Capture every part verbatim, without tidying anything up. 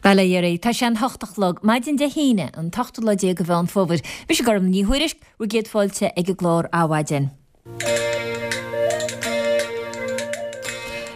Bail ó Dhia oraibh, tá sé an hocht a chlog, maidin Dé hAoine, an t-ochtú lá déag de Mheán Fómhair. Mise Gormfhlaith Ní Thuairisg, bhur gcéad fáilte ag an gclár Adhmhaidin.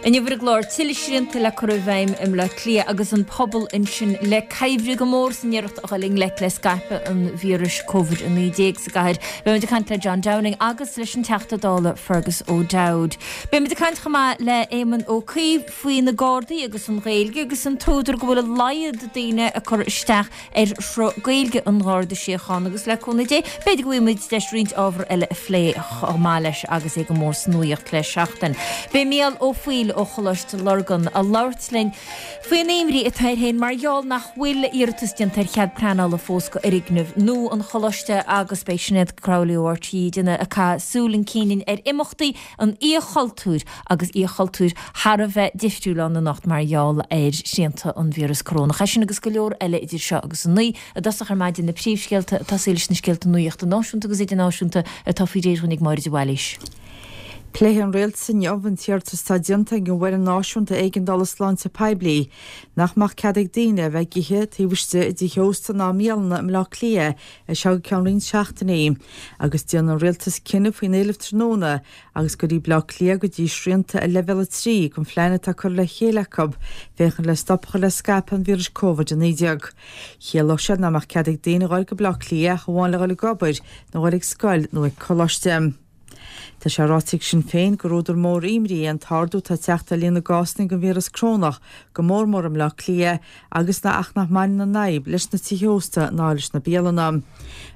Inniu ar an gclár, tuilleadh srianta le cur i bhfeidhm i mBleá Cliath agus an pobal ansin le cuimhriú go mór san iarracht a dhul i ngleic le scaipeadh an víris Covid a naoi déag sa gcathair. Beimid ag caint le John Downing agus leis an Teachta Dála Fergus O'Dowd. Beimid ag caint chomh maith le Éamon Ó Cuív faoi na Gardaí agus an Ghaeilge agus an t-údar go bhfuil a laghad daoine ag cur isteach ar shruth Gaeilge an Gharda Síochána agus le cúnamh Dé, b'fhéidir go bhfaighidh muid deis roinnt ábhar eile a phlé chomh maith leis agus é go mór sa nuaíocht le seachtain. Beidh Mícheál Ó Foighil ó Choláiste Lurgan ag labhairt linn faoin imní atá air féin mar gheall nach bhfuil iarratas déanta ar chead pleanála fós go fhoirgneamh nua an Choláiste agus beidh Sinéad Crowley ó RTÉ ag caitheamh súil chun cinn ar imeachtaí an Oíche Chultúir agus Oíche Chultúir thar a bheith difriúil ann anocht mar gheall ar shrianta an víreas corónach. É sin agus go leor eile idir seo agus a naoi. I dtosach ar maidin na príomhscéalta ag tosaí leis na scéalta nuachta náisiúnta agus idirnáisiúnta atá faoi réir dhúinn ag Máire de Bhailís. Pléifidh an Rialtas inniu an t-iarratas atá déanta ag an bhFoireann Náisiúnta Éigeandála Sláinte Poiblí nach mbeadh cead ag daoine a bheith ag ithe taobh istigh i dtithe ósta ná i mbialanna i mBleá Cliath as seo go ceann roinnt seachtainí agus déanfaidh an Rialtas cinneadh faoin éileamh tráthnóna agus go dtí Bleá Cliath go dtí srianta ar leibhéal a trí den phlean atá curtha le chéile acu féachaint le stop a chur le scaipeadh an víris Covid a naoi déag. Chiallódh sé nach mbeadh cead ag daoine a dhul go Bleá Cliath ach amháin le dhul ag obair nó dhul ag scoil nó ag coláiste. Tá sé ráite ag Sinn Féin gur údar mór imní é an t-ardú atá ag teacht ar líon na gcásanna den víreas crónach, go mór mór i mBleá Cliath, agus na ach nach mbaineann an fhadhb leis na tithe ósta ná leis na bialanna.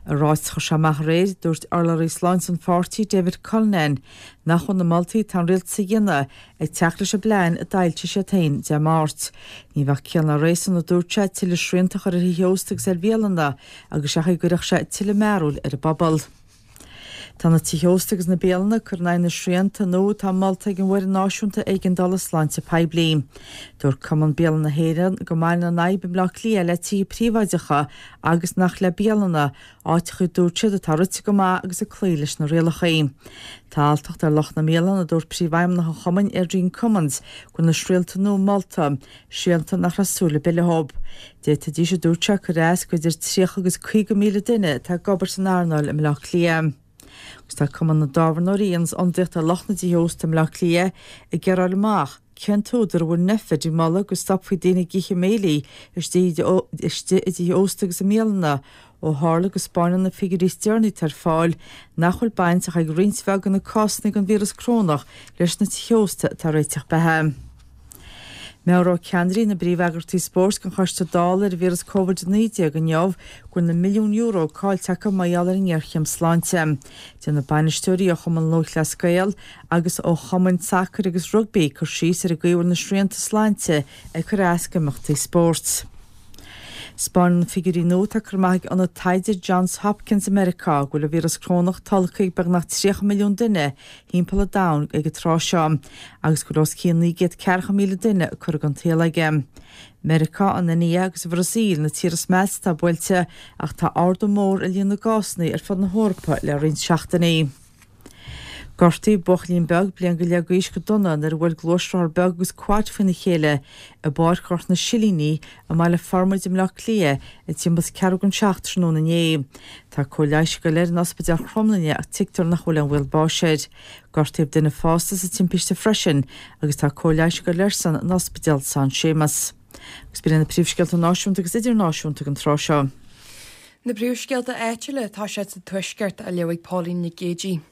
I ráiteas a chuir sé amach aréir, dúirt urlabhraí sláinte an pháirtí, David Cullinane, nach bhfuil na moltaí atá an rialtas a dhéanamh ag teacht leis an bplean a d'fhoilsigh siad féin Dé Máirt. Ní bheadh ciall ná réasún, a dúirt sé, tuilleadh srianta a chur ar thithe ósta agus ar bhialanna agus seachas go gcuirfeadh sé tuilleadh mearbhaill ar an bpobal. Tá na tithe ósta agus na bialanna ag cur in aghaidh na srianta nua atá molta ag an bhFoireann Náisiúnta Éigeandála Sláinte Poiblí. Dúirt Cumann Bialann na hÉireann go mbaineann an fhadhb i mBleá Cliath le tithe príobháideacha agus nach le bialanna, áiteacha a dúirt siad atá rite go maith agus ag cloí leis na rialacha. Tá alltacht ar lucht na mbialann, a dúirt Príomhfheidhmeannach an chumainn, Adrian Cummins, go bhfuil na srianta nua molta, srianta nach raibh súil ar bith leo. D'fhéadfaidís, a dúirt sé, cur as go idir tríocha agus caoga míle duine atá ag obair san earnáil i mBleá Cliath. Agus tá Cumann na dTábhairneoirí a dhéanas ionadaíocht ar lucht na dtithe ósta i mBleá Cliath ag iarraidh a fháil amach cén t-údar a bhfuil Nphet ag moladh go stopfaí daoine ag ithe béilí istigh istigh i dtithe ósta agus i mbialanna ó tharla go 'spáineann na figiúirí is deireanaí atá ar fáil nach bhfuil baint ach ag roinnt bheag de na cásanna den víreas crónach leis na tithe ósta atá ag réiteach beatha. Meabhróidh ceannairí na bpríomheagraíochtaí spóirt don Choiste Dála ar an víreas Covid a naoi déag inniu go bhfuil na milliúin euro caillte acu mar gheall ar an ngéarchéim sláinte. Déanfaidh bainisteoirí ó Chumann Lúthchleas Gael agus ó chumainn sacair agus rugbaí cur síos ar an gcaoi a bhfuil na srianta sláinte ag cur as d'imeachtaí spóirt. 'Spáineann na figiúirí nua atá curtha amach ag Ionad Taighde Johns Hopkins i Meiriceá go bhfuil an víreas crónach tolgtha ag beagnach tríocha milliún duine thimpeall an domhain ag an tráth seo agus go bhfuil os cionn naoi gcéad ceathracha míle duine curtha den tsaol aige. Meiriceá, an India agus an Bhrasaíl na tíortha is measa atá buailte ach tá ardú mór i líon na gcásanna ar fud na hEorpa le roinnt seachtainí. Gortaíodh buachaillín beag bliain go leith d'aois go dona nuair a bhuail gluaisrothar beag agus quad faoina chéile i bPáirc Ghort na Silíní i mBaile Formaid i mBleá Cliath ag timpeall is ceathrú don seacht tráthnóna inné. Tá cóir leighis ag dul air in Ospidéal Chromghlinne ach tuigtear nach bhfuil aon bhaol báis air. Gortaíodh duine fásta sa timpiste freisin agus tá cóir leighis ag dul airsean in Ospidéal San Séamas. Agus b'in iad na príomhscéalta náisiúnta agus idirnáisiúnta ag an tráth seo. Na príomhscéalta áitiúla atá siad sa Tuaisceart á léamh ag Pauline Nic Géidigh.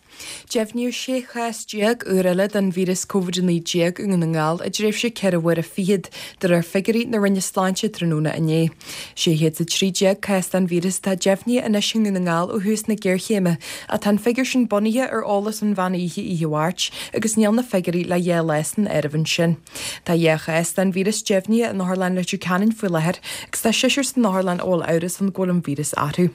Deimhníodh sé chás déag úr eile den víreas Covid a naoi déag i nDún na nGall i dtréimhse ceithre huaire fichead, de réir figiúirí na Roinne Sláinte tráthnóna inné. Sé chéad is a trí déag cás den víreas atá deimhnithe anois i nDún na nGall ó thús na géarchéime, ach tá an figiúr sin bunaithe ar eolas ón mheán oíche oíche Mháirt agus níl na figiúirí le dhá lá san áireamh ansin. Tá dhá chás den víreas deimhnithe in Otharlann Leitir Ceanainn faoi láthair agus tá seisear san otharlann a bhfuil amhras ann go bhfuil an víreas orthu.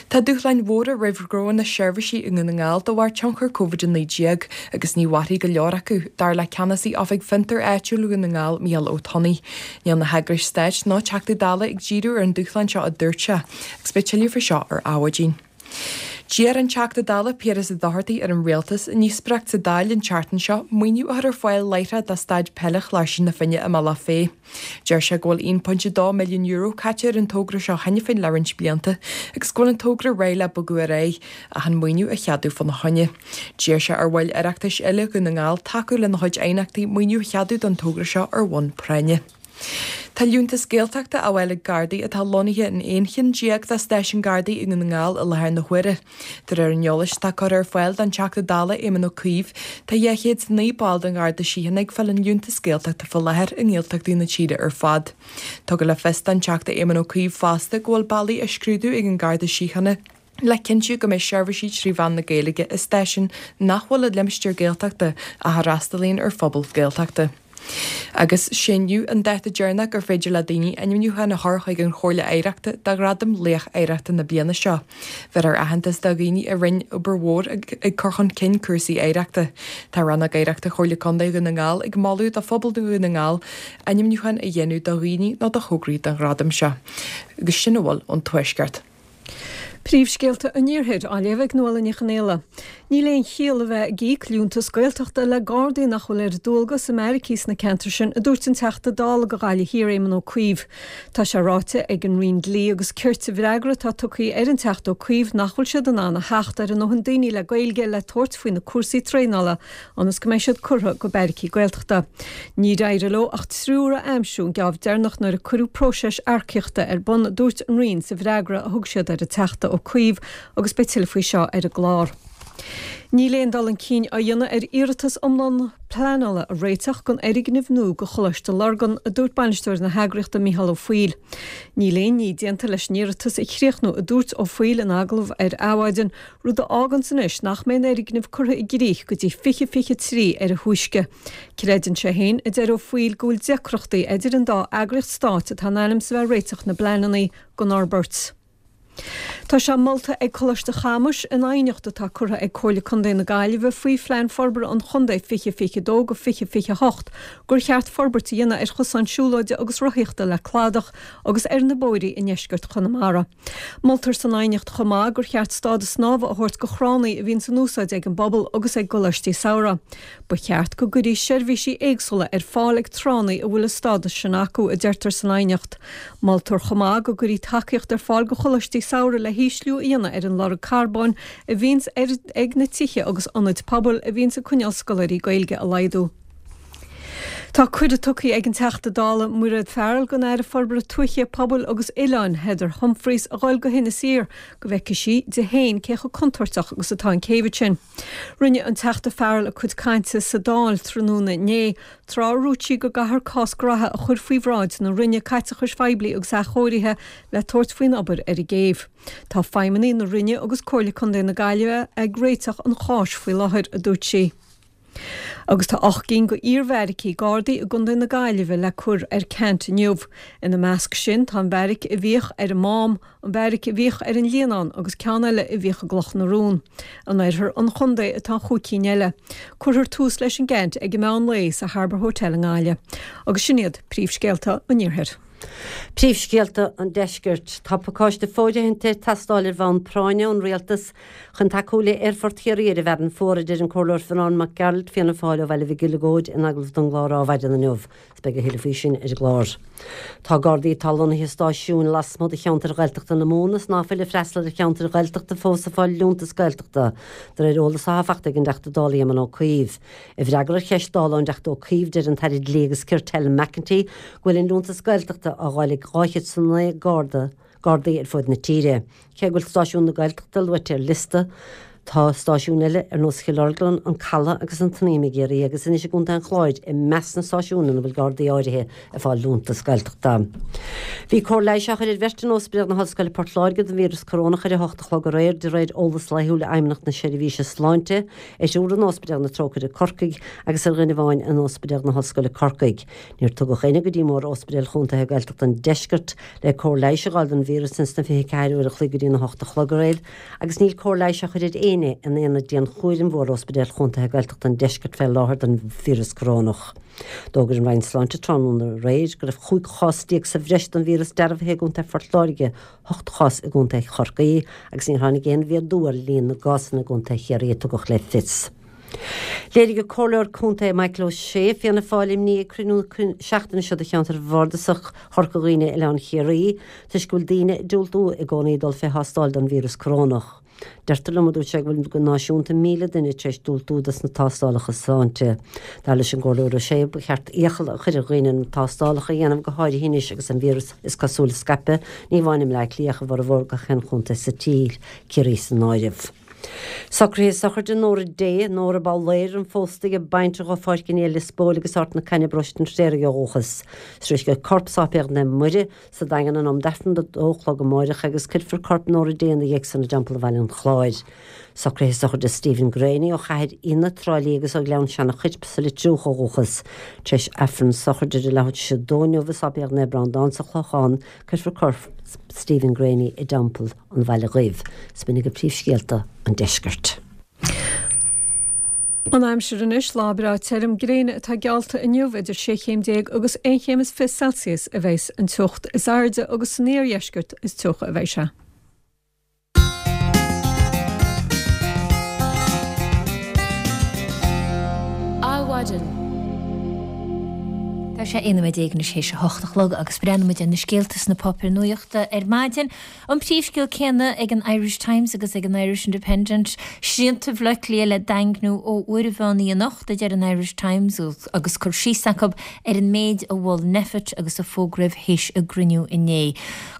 Tá dúshláin mhóra roimh ghnónna seirbhísí i nDún na nGall de bharr tionchar Covid a naoi déag agus ní mhairfidh go leor acu, dar le Ceannasaí Oifig Fiontar Áitiúil Dhún na nGall, Mícheál Ó Tonnaigh. Níl na heagrais stáit ná Teachtaí Dála ag díriú ar an dúshlán seo a dúirt sé, agus beidh tuilleadh faoi seo ar Adhmhaidin. D'iarr an Teachta Dála Piaras Ó Dochartaigh ar an Rialtas i ndíospóireacht sa Dáil an tseachtain seo maoiniú a chur ar fáil láithreach do staid peile Chláirsigh na Finne i mBealach Féich. Deir sé go bhfuil aon pointe dó milliún euro caite ar an togra seo cheana féin le roinnt blianta agus go bhfuil an togra réidh le bogadh ar aghaidh ach an maoiniú a cheadú fána choinne. D'iarr sé ar bhaill Oireachtais eile Dhún na nGall tacú lena chuid aighneachtaí maoiniú a cheadú don togra seo ar bhonn práinne. Tá liúntas Gaeltachta á fháil ag Gardaí atá lonnaithe in aon cheann déag de stáisiúin Gardaí i nDún na nGall i láthair na huaire. De réir an eolais atá curtha ar fáil don Teachta Dála Éamon Ó Cuív, tá dhá chéad is a naoi ball den Gharda Síochána ag fáil an liúntas Gaeltachta faoi láthair i nGaeltachtaí na tíre ar fad. Tugadh le fios don Teachta Éamon Ó Cuív fosta go bhfuil bealaí á scrúdú ag an Garda Síochána le cinntiú go mbeidh seirbhísí trí mheán na Gaeilge i stáisiúin nach bhfuil i limistéar Gaeltachta ach a fhreastalaíonn ar phobal Gaeltachta. Agus sé inniu an dáta deireanach gur féidir le daoine ainmniúchán a chur chuig an Chomhairle Oidhreachta do Ghradam Laoch Oidhreachta na bliana seo. Bheirtear aitheantas do dhaoine a rinne obair mhór ag cur chun cinn cúrsaí oidhreachta. Tá Rannóg Oidhreachta Chomhairle Contae Dhún na nGall ag moladh do phobal Dhún na nGall ainmniúchán a dhéanamh do dhaoine nó do thograí don ghradam seo. Agus sin a bhfuil ón Tuaisceart. Príomhscéalta an Iarthair á léamh ag Nuala Ní Chonaola. Níl aon chiall a bheith ag íoc liúntas Gaeltachta le Gardaí nach bhfuil ar dualgas i mbeairicí sna ceantair sin, a dúirt an Teachta Dála do Ghaillimh Thiar Éamon Ó Cuív. Tá sé ráite ag an Roinn Dlí agus Cirt i bhfreagra atá tugtha ar an Teachta Ó Cuív nach bhfuil siad in ann a theacht ar a ndóthain daoine le Gaeilge le tabhairt faoi na cúrsaí traenála ionas go mbeidh siad curtha go beairicí Gaeltachta. Níor éirigh leo ach triúr a aimsiú an geábh deireanach nuair a cuireadh próiseas earcaíochta ar bun, a dúirt an Roinn sa bhfreagra a thug siad ar an Teachta Ó Cuív agus beidh tuilleadh faoi seo ar an gclár. Níl aon dul chun cinn á dhéanamh ar iarratas iomlán pleanála a réiteach don fhoirgneamh nua do Choláiste Lurgan, a dúirt bainisteoir na heagraíochta Micheál Ó Foighil. Níl aon ní déanta leis an iarratas a chríochnú, a dúirt Ó Foighil in agallamh ar Adhmhaidin, rud a fháganns anois nach mbeidh an fhoirgneamh curtha i gcrích go dtí fiche fiche trí ar a thúisce. Creideann sé féin, a deir Ó Foighil, go bhfuil deacrachtaí idir an dá eagraíocht stáit atá in ainm is a bheith ag réiteach na bpleananna don fhorbairt. Tá sé molta ag Coláiste Chamuis in aighneacht atá curtha ag Comhairle Contae na Gaillimhe faoi Phlean Forbartha an Chontae fiche fiche dó go fiche fiche a hocht gur cheart forbairt a dhéanamh ar chosáin siúlóide agus rothaíochta le cladach agus ar na bóithrí i ndeisceart Chonamara. Moltar san aighneacht chomh maith gur cheart stádas snámha a thabhairt do thránna a bhíonn in úsáid ag an bpobal agus ag gcoláistí samhraidh. Ba cheart go gcuirfí seirbhísí éagsúla ar fáil ag tránna a bhfuil an stádas sin acu, a deirtear san aighneacht. Moltar chomh maith go gcuirfí tacaíocht ar fáil do choláistí samhraidh le hísliú a dhéanamh ar an lorg carbóin a bhíonns ag na tithe agus ionaid pobail a bhíonns ag coinneáil scoláirí Gaeilge a laghdú. Tá cuireadh tugtha ag an Teachta Dála Mairéad Farrell don Aire Forbartha Tuaithe, Pobail agus Oileáin, Heather Humphreys, a dhul go hInis Oírr go bhfeicfidh sí di féin cé chomh contúirteach agus atá an céibh sin. Rinne an Teachta Farrell a cuid cainte sa Dáil tráthnóna inné, tráth a dúirt sí go gcaithfear cás graithe a chur faoi bhráid na Roinne Caiteachais Phoiblí agus Athchóirithe le tabhairt faoin obair ar an gcéibh. Tá feidhmeannaigh na Roinne agus Comhairle Contae na Gaillimhe ag réiteach an cháis faoi láthair, a dúirt sí. Agus tá ocht gcinn de iarbheairicí Gardaí i gContae na Gaillimhe le cur ar ceant inniu. Ina measc sin tá an bheairic a bhíodh ar an Mám, an bheairic a bhíodh ar an Líonán agus ceann eile a bhíodh i gCloch na Rón. In oirthear an chontae atá an chúig cinn eile. Cuirfear tús leis an gceant ag an meán lae sa Harbour Hotel i nGaillimh. Agus sin iad príomhscéalta an Iarthair. Príomhscéalta an Deiscirt. Tá pacáiste fóirithinte ag teastáil ar bhonn práinne ón Rialtas chun tacú le Aerfort Chiarraí ar an bhFearann Fuar, a deir an Comhairleoir Fionán Mac Gearailt, Fianna Fáil ó Bhaile Mhic Uileagóid in agallamh don gclár Adhmhaidin inniu. Is beidh a thuilleadh faoi sin ar an gclár. Tá Gardaí atá lonnaithe i stáisiúin lasmuigh de cheantair Ghaeltachta na Mumhan is ná fuil ag freastal ar cheantair Ghaeltachta fós ag fáil liúntas Gaeltachta, de réir eolas atá faighte ag an dTeachta Dála Éamon Ó Cuív. I bhfreagra ar cheist Dála ón dTeachta Ó Cuív, deir an tAire Dlí agus Cirt Helen McEntee go bhfuil an liúntas Gaeltachta á fháil ag dhá chéad is a naoi Garda, Gardaí ar fud na tíre. Cé go bhfuil stáisiúin na Gaeltachta luaite ar liosta, tá stáisiúin eile ar nós Chill Orglan, An Caladh agus an tSnaidhm i gCiarraí agus anois i gContae an Chláir i measc na stáisiún ina bhfuil Gardaí áirithe ag fáil liúntas Gaeltachta. Bhí cóir leighis á chur ar bheirt in Ospidéal na hOllscoile Port Láirge don víreas corónach ar a hocht a chlog aréir de réir eolas laethúil Fheidhmeannacht na Seirbhíse Sláinte, ar thriúr in Ospidéal na Trócaire Corcaigh agus ar dhuine amháin in Ospidéal na hOllscoile Corcaigh. Níor tugadh éinne go dtí Mór-Ospidéal Chontaetha Gaeltachta an Deiscirt le cóir leighis a fháil don víreas ins na fiche ceathair uair a chloig go dtí na hocht a chlog aréir agus níl cóir leighis á chur ar éinne in aonad dianchúraim Mhór-Ospidéal Chontaetha Gaeltachta an Deiscirt fé láthair don víreas corónach. D'fhógair an Roinn Sláinte tráthnóna aréir go raibh chúig chás déag sa bhreis don víreas víreas dearbhaithe i gContae Phort Láirge, ocht chás i gContae Chorcaí agus níor tháinig aon mhéadú ar líon na gcásanna i gContae Chiarraí a tugadh le fios. Léirigh an Comhairleoir Contae Michael O'Shea, Fianna Fáil, imní ag cruinniú seachtaine seo de cheantar bhardasach Chorca Dhuibhne Oileán Chiarraí toisc go bhfuil daoine ag diúltú i gcónaí dul fé thástáil don víreas corónach. Deirtear liom, a dúirt sé, go bhfuil go náisiúnta míle duine tar éis diúltú dos na tástálacha sláinte. Dar leis an gComhairleoir O'Shea, ba cheart iachall a chur ar dhaoine na tástálacha a dhéanamh go háirithe anois agus an víreas is cosúil ag scaipeadh, ní amháin i mBleá Cliath ach i bhformhór gach aon chontae sa tír, Ciarraí san áireamh. Socruithe sochraide Nóra Day, Nóra Babhléir an phósta ag baintreach ó Pháirc an Fhia Lios Póil agus Ard na Caithne Paróiste an Phréaraigh ó dhúchas. Sroichfidh a corp Sáipéal Naomh Muire sa Daingean in am d'Aifreann a dó a chlog amáireach agus cuirfear corp Nóra Day ina dhiaidh san i dTeampall Bhaile an Chláir. Socruithe sochraide Stephen Graney ó Chathair Fhíona, Trá Lí agus ó Ghleann Seanach Choirp sa Leitriúch ó dhúchas. Tar éis Aifreann sochraide ar a leathuair tar éis a dó inniu i Sáipéal Naomh Breandán sa Chlochán, cuirfear corp Stephen Graney i dTeampall an Bhaile Dhuibh. 'S b'in agaibh príomhscéalta an deiscirt. An aimsir anois, lá breá tirim gréine atá geallta inniu, idir sé chéim déag agus aon chéim is fiche Celsius a bheas an teocht is airde agus san iardheisceart is teocha a bheidh sé. Adhmhaidin. Tá sé aon nóiméad déag anois théis a hocht a chlog agus breathnóidh muid ar na scéalta sna páipéir nuachta ar maidin. An príomhscéal céanna ag an Irish Times agus ag an Irish Independent, srianta Bhaile Átha Cliath le daingniú ó uair an mheán oíche anocht, a deir an Irish Times agus cur síos acu ar an méid a mhol Nphet agus a fógraíodh théis a gcruinniú inné.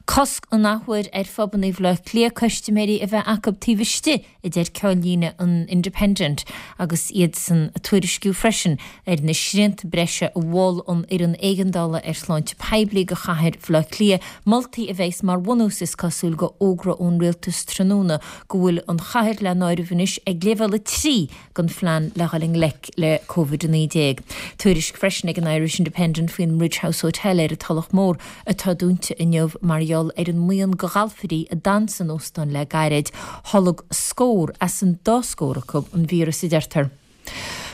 Cosc an athuair ar phubanna Bhaile Átha Cliath custaiméirí a bheith acu taobh istigh, a deir ceannlíne an Independent agus iadsan ag tuairisciú freisin ar na srianta breise a mhol an Fhoireann Éigeandála ar Shláinte Poiblí do chathair Bhaile Átha Cliath, moltaí a bheas mar bhunús is cosúil do fhógra ón rialtas tráthnóna go bhfuil an chathair le n-áireamh anois ag leibhéal a trí den phlean le dhul i ngleic le Covid a naoi déag. Tuairisc freisin ag an Irish Independent faoin mBridge House Hotel ar an Tulach Mhór atá dúnta inniu mar gheall ar an mbuíon de ghalfairí a d'fhan san óstán le gairid. Tholg scór as an dá scór acu an víreas, a deirtear.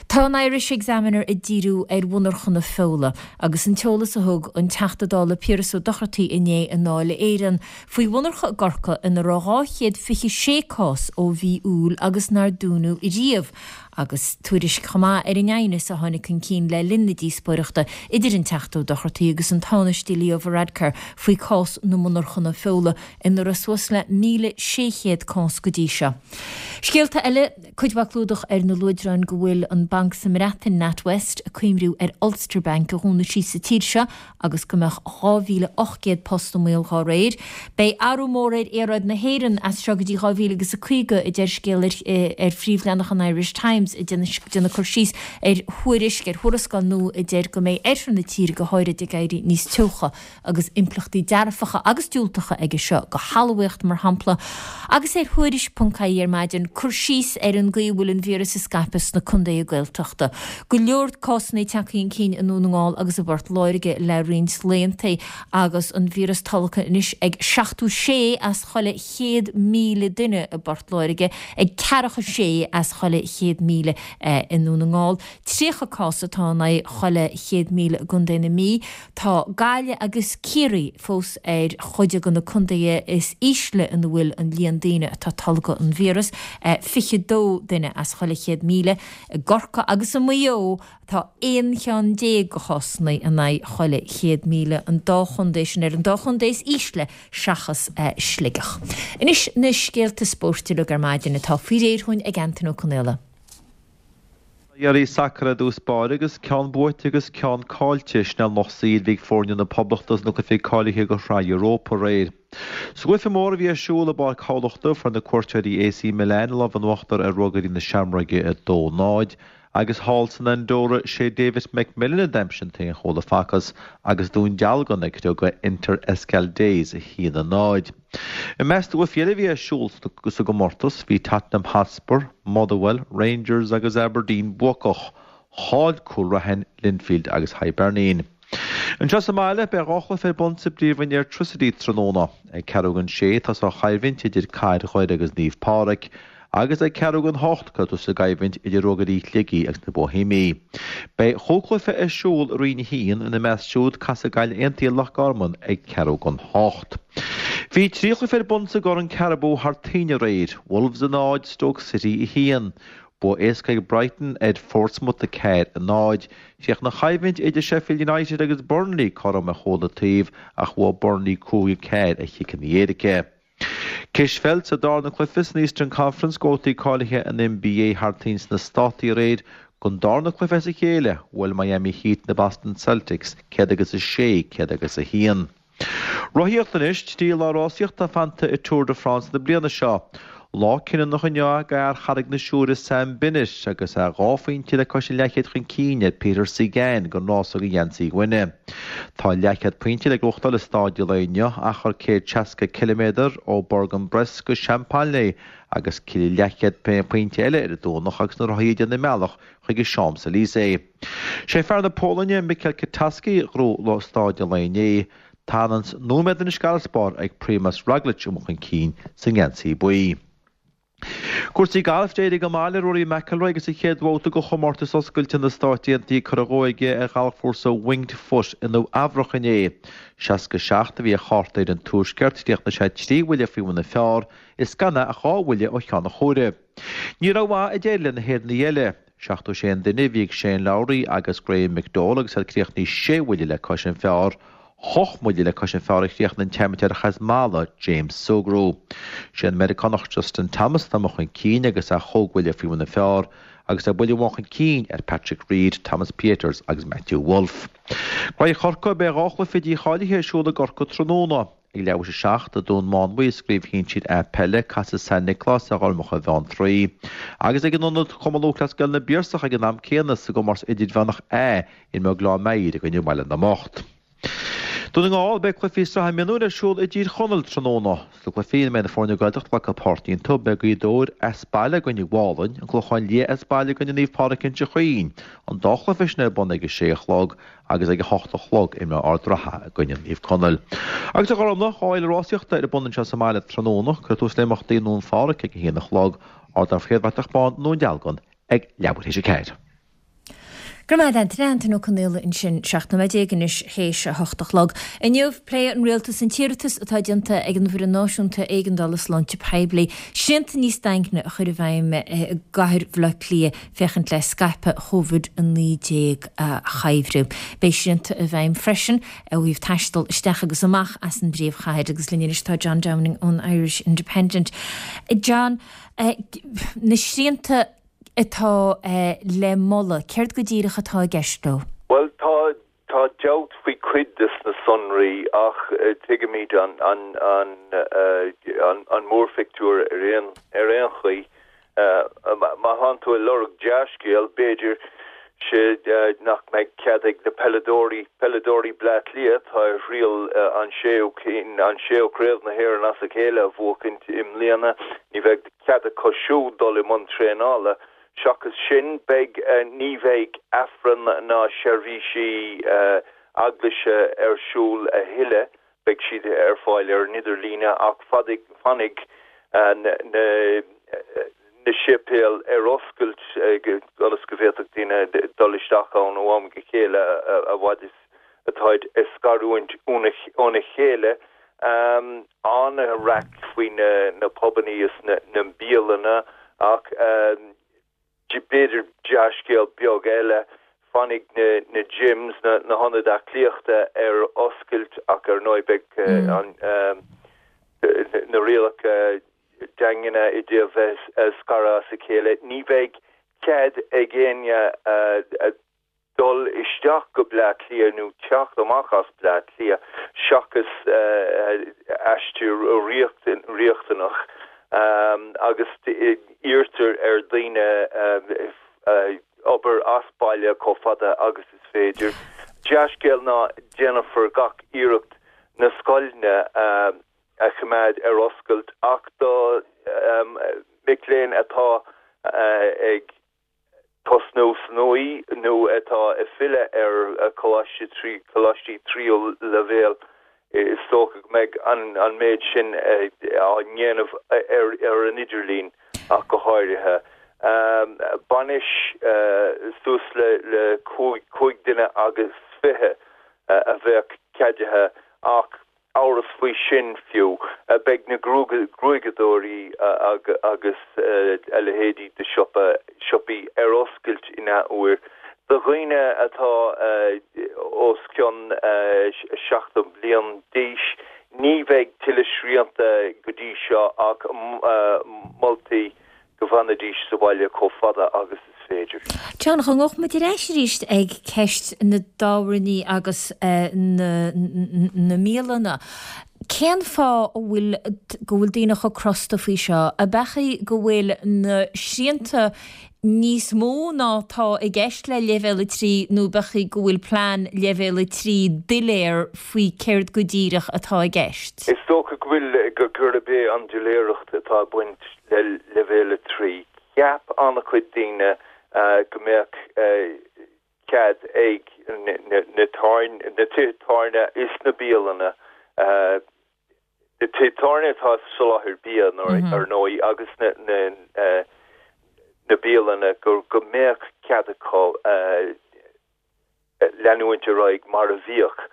Tá an Irish Examiner ag díriú ar mhonarchana feola agus an t-eolas a thug an Teachta Dála Piaras Ó Dochartaigh inné i nDáil Éireann faoi mhonarcha i gCorcaigh ina raibh dhá chéad fiche sé cás ó mhí Iúil agus nár dúnadh riamh agus tuairisc chomh maith ar an aighneas a tháinig chun cinn le linn na díospóireachta idir an Teachta Ó Dochartaigh agus an Tánaiste Leo Varadkar faoi chás na monarchana feola ina raibh suas le míle sé chéad cás go dtí seo. Scéalta eile, cuid mhaith clúdach ar na luaidreáin go bhfuil an banc sa mBreatain, NatWest, ag cuimhniú ar Ulster Bank a dhúnadh síos sa tír seo agus go mbeadh dhá mhíle ocht gcéad post i mbaol dá réir. Beidh athrú mór ar aeráid na hÉireann as seo go dtí dhá mhíle agus a caoga, a deir scéal ar phríomhleathanach an Irish Times, ag déanamh cur síos ar thuairisc, ar thuarascáil nua a deir go mbeidh oirthear na tíre go háirid ag éirí níos teocha agus impleachtaí dearfacha agus diúltacha aige seo do thalmhaíocht, mar shampla. Agus ar Thuairisc ponc ie ar maidin, cur síos ar an gcaoi a bhfuil an víreas ag scaipeadh sna contaetha Gaeltachta. Go leor cásanna tagtha chun cinn i nDún na nGall agus i bPort Láirge le roinnt laethanta agus an víreas tolgtha anois ag seachtó sé as chuile chéad míle duine i bPort Láirge, ag ceathracha sé as chuile chéad míle i nDún na nGall. Tríocha cás atá in aghaidh chuile chéad míle i gContae na Mí. Tá Gaillimh agus Ciarraí fós ar chuid de na contaetha is ísle ina bhfuil an líon daoine atá ag tolgadh an víreas, fiche dó duine as chuile chéad míle. I gCorcaigh agus i Maigh Eo tá aon cheann déag de chásanna in aghaidh chuile chéad míle, an dá chontae sin ar an dá chontae is ísle seachas Sligeach. Anois na scéalta spóirt uilig ar maidin atá faoi réir dhúinn ag Antain Ó Conaola. Iarraidh sacair i dtús báire agus ceann buaite agus ceann caillte. Sin é an lucht saoil a bhí ag foirne na Poblachta sna cluichí cáilithe do Shraith Europa aréir. Sa gcluiche mór a bhí ar siúl i bPáirc Thamhlachta, fuair na cuairteoirí A C Milan an lámh in uachtar ar Ruagairí na Seamróige a dó, náid. Agus thall san Andóra, sé David McMillan a d'aimsigh an t-aon chúl a facthas agus Dún Dealgan ag criogadh Inter Escaldes a haon a náid. I measc na gcluichí eile a bhí ar siúl sa gcomórtas, bhí Tottenham Hotspur, Motherwell, Rangers agus Aberdeen buacach. Chaill Cúil Raithin, Linfield agus Hibernian. Anseo sa mbaile, beidh dhá chluiche ar bun sa bpríomhroinn Airtricity tráthnóna. Ag ceathrú don sé, tosóidh an choimhlint idir Cathair Dhoire agus Naomh Pádraig, agus ag ceathrú don hocht cuirfear tús leis an gcoimhlint idir Ruagairí Shligigh agus na Boihéamaigh. Beidh chúig chluiche ar siúl i Roinn a haon, ina measc siúd casfaidh Gaillimh Aontaithe Loch Garman ag ceathrú don hocht. Bhí trí chluiche ar bun sa gCorn Carabao thar toinn aréir, Wolves a náid, Stoke City a haon. Bua éasca ag Brighton ar Phortsmouth a ceathair a náid. Chríochnaigh an choimhlint idir Sheffield United agus Burnley cothrom ar chúl an taobh ach bhuaigh Burnley cúig a ceathair ar chiceanna éirice. Cispheil sa darna cluiche san Eastern Conference do bhabhtaí cáilithe an NBA thar toinn sna Státaí aréir don darna cluiche as a chéile, bhuail Miami Heat na Boston Celtics céad agus a sé, céad agus a haon. Rothaíocht anois, trí lá rásaíochta fanta i Tour de France na bliana seo. Lá cinniúnach inniu do fhear Charraig na Siúire Sam Bennett agus é dhá phointe le cois an leathchéid chun cinn ar Peter Sagan don rása do gheansaí uaine. Tá leathchéad pointe le gnóthachtáil i staid an lae inniu, achar céad seasca ciliméadar ó Bourg-en-Bresse go Champolley agus leathchéad pointe eile ar an Domhnach agus na rothaí ag déanamh a mbealach chuig an Champs-Élysées. Sé fear na Polainne Michał Kwiatkowski a ghnóthaigh staid an lae inné. Tá nóiméad anois d'fharasbarr ag Primož Roglič amuigh chun cinn sa ngeansaí buí. Cúrsaí gailf d'éirigh go maith le Rory McIlroy agus a chéad bhabhta de chomórtas oscailte na Stát Aontaithe curtha dhó aige ar ghalfchúrsa Winged Foot i Nua Eabhrac inné. Seasca seacht a bhí a chárta ar an Tuaisceart, chríochnaigh sé trí bhuille faoi bhun an phar is gan é ach dhá bhuille ó cheann an chomhairimh. Ní rómhaith a d'éirigh le na hÉireannaigh eile. Seachtó sé an duine a bhí ag Shane Lowry agus Graham McDowell agus iad críochnaithe sé bhuille le cois an phar. Ocht mbuille le cois an phar a chríochnaigh an t-amaitéarach as Mala, James Sugrue. Sé an Meiriceánach Justin Thomas atá amuigh chun cinn agus é chúig bhuille faoi bhun an phar agus é buille amháin chun cinn ar Patrick Reed, Thomas Pieters agus Matthew Wolff. Graí Chorcaí beidh dhá chluiche dícháilithe ar siúl i gCorcaigh tráthnóna. Ag leathuair tar éis a seacht i Dún Mánmhaí sa gcraobh shinsir A peile, casfaidh San Nioclás ar Ghormacha Bheanntraí. Agus ag an ionad Chumann Lúthchleas Gael na bPiarsach ag an am céanna sa gcomórtas idirmheánach A imreoidh Gleann Maghair i gcoinne Bhaile na mBocht. Dún na nGall, beidh cluichí sraithe mionúir ar siúl i dTír Chonaill tráthnóna. Sna cluichí ina mbeidh na foirne Gaeltachta ag glacadh páirt iontu, beidh Gaoth Dobhair as baile i gcoinne Mhálainn, An Clochán Liath as baile i gcoinne Naomh Pádraig Inse Chaoin, an dá chluiche sin ar bun ag a sé a chlog agus ag a hocht a chlog imreoidh Ard Ratha i gcoinne Naomh Conaill. Agus a Ghormlaith, dhá fhéile rásaíochta ar bun anseo sa mbaile tráthnóna, cuirfear tús le himeachtaí i nDún Phádraig ag a haon a chlog, Ardán Chéad Bhratach Bán i nDún Dealgan ag leathuair théis a ceathair. Go raibh maith agat Antaine, Antaine Ó Conaola ansin seacht nóiméad déag anois théis a hocht a chlog. Inniu pléifidh an rialtas an t-iarratas atá déanta ag an bhFoireann Náisiúnta Éigeandála Sláinte Poiblí srianta níos daingne a chur i bhfeidhm i gcathair Bhaile Átha Cliath féachaint le scaipeadh Covid a naoi déag a choimhriú. Beidh srianta i bhfeidhm freisin ó thaobh taisteal isteach agus amach as an bpríomhchathair agus linn anois tá John Downing ón Irish Independent. John, na srianta atá le moladh, céard go díreach atá i gceist leo? Bhuel, tá tá dabht faoi cuid de na sonraí ach tuigimid an an an an an mórphictiúr ar aon ar aon chaoi. Má tá tú ag lorg dea-scéal, b'fhéidir sé nach mbeidh cead ag na peileadóirí peileadóirí Bleá Cliath atá ar thriail an séú an séú craobh na hÉireann as a chéile a bhuachaint i mbliana, ní bheidh cead acu siúd dul i mbun traenála. Seachas sin, beidh ní bheidh Aifreann ná seirbhísí eaglaise ar siúl a thuilleadh, beidh siad ar fáil ar an idirlíne ach fanfaidh na na séipéil ar oscailt ionas go bhféadfadh daoine dul isteach ann ó am go chéile a fhad is atáid ag scarúint óna chéile. An-raic faoi na pubannaí is na bialanna ach b'fhéidir dea-scéal beag eile, fanfaidh na na gyms, na na hionaid aclaíochta ar oscailt ach ar ndóigh beidh an na rialacha daingne i dtaobh bheith ag scaradh as a chéile. Ní bheidh cead ag éinne dul isteach go Bleá Cliath nó teacht amach as Bleá Cliath seachas aistear riachtanach agus iarrtar ar dhaoine obair as baile chomh fada agus is féidir. Dea-scéal ná déanfar gach iarracht na scoileanna a choimeád ar oscailt ach do mic léinn atá ag tosnú san U nó atá ag filleadh ar choláiste trí choláistí tríú leibhéal, is dócha go mbeidh an méid sin á ndéanamh ar an idirlíon. ach go háirithe. Bainis suas le le cúig cúig duine agus fiche a bheadh ceadaithe ach amhras faoi sin fiú. Beidh na gruaigeadóirí agus a leithéidí de siopa siopaí ar oscailt in athuair. Do dhaoine atá os cionn seachtó bliain d'aois, ní bheidh tuilleadh srianta go dtí seo ach moltaí go bhfanfaidís sa bhaile chomh fada agus is féidir. John, dá ngabhfadh muid ar ais arís ag ceist na dtábhairní agus na mbialanna. Cén fáth a bhfuil go bhfuil daoine chomh crosta faoi seo? Ab ea go bhfuil na srianta níos mó ná tá i gceist le Leibhéal a trí nó ab ea go bhfuil plean Leibhéal a trí doiléir faoi céard go díreach atá i gceist? Is dócha go bhfuil go gurb é an doiléireacht atá ag baint le Leibhéal a trí. Cheap an-chuid daoine go mbeadh cead ag na tithe tábhairne is na bialanna, na tithe tábhairne atá ag soláthar bia ar ndóigh agus na na bialanna go go mbeadh cead acu leanúint ar aghaidh mar a bhíodh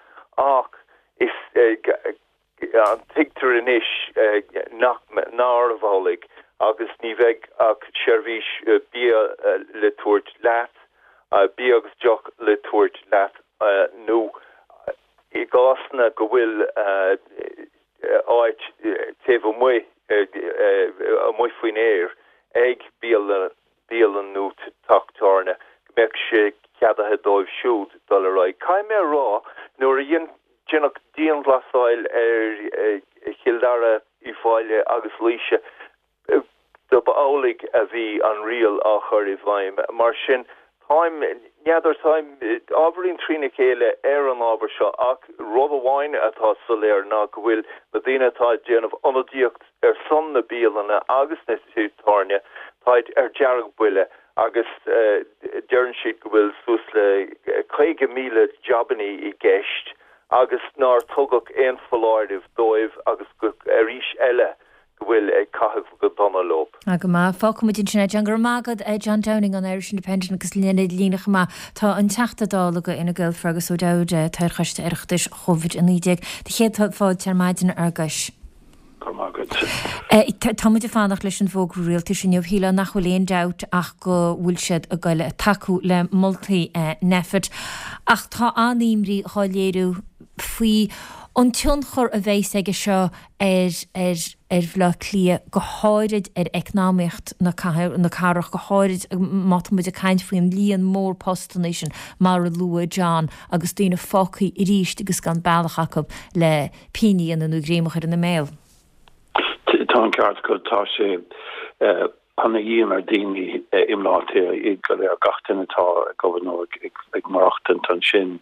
ach is tuigtear anois nach nárbh amhlaidh agus ní bheidh ach seirbhís bia le tabhairt leat, bia agus deoch le tabhairt leat nó i gcásanna go bhfuil áit taobh amuigh, amuigh faoin aer ag bialann nó teach tábhairne, go mbeadh sé ceadaithe dóibh siúd dul ar aghaidh. Caithfidh mé a rá, nuair a deineadh dianghlasáil ar Chill Dara, Uíbh Fhailí agus Laoise, dob amhlaidh a bhí an riail á chur i bhfeidhm. Mar sin, táim, n'fheadar, táim ábhairín trína chéile ar an ábhar seo ach rud amháin atá soiléir ná go bhfuil na daoine atá ag déanamh ionadaíocht ar son na bialanna agus na tithe tábhairne, táid ar deargbhuile agus deireann siad go bhfuil suas le caoga míle jabannaí i gceist agus nár tugadh aon foláireamh dóibh agus go, arís eile, go bhfuil ag caitheamh go dona leo. Go maith. Fágfaidh muid ansin é, John. Go raibh maith agat, John Downing ón Irish Independent agus linn ar líne chomh maith tá an Teachta Dála do Fhine Gael Fergus O'Dowd, atá ar Choiste Oireachtais Covid a naoi déag. Do chéad fáilte ar maidin, a Fherguis. Go raibh maith agat. Tá muid ag fanacht leis an bhfógra rialtais inniu. Shílfeá nach bhfuil aon dabht ach go bhfuil siad ag goil tacú le moltaí Nphet. Ach tá an-imní dhá léiriú faoi an tionchar a bheas aige seo ar ar ar Bhaile Átha Cliath, go háirid ar eacnamaíocht na na cathrach, go háirid má tá muid ag caint faoin líon mór postanna sin mar a luaigh John agus daoine fágtha arís agus gan bealach acu le pingin a dhéanamh nó greim a chur ina mbéal. Tá an ceart agat, tá sé ana-dhian ar daoine i mBleá Cliath, iad go léir, gach duine atá ag obair nó ag maireachtaint ansin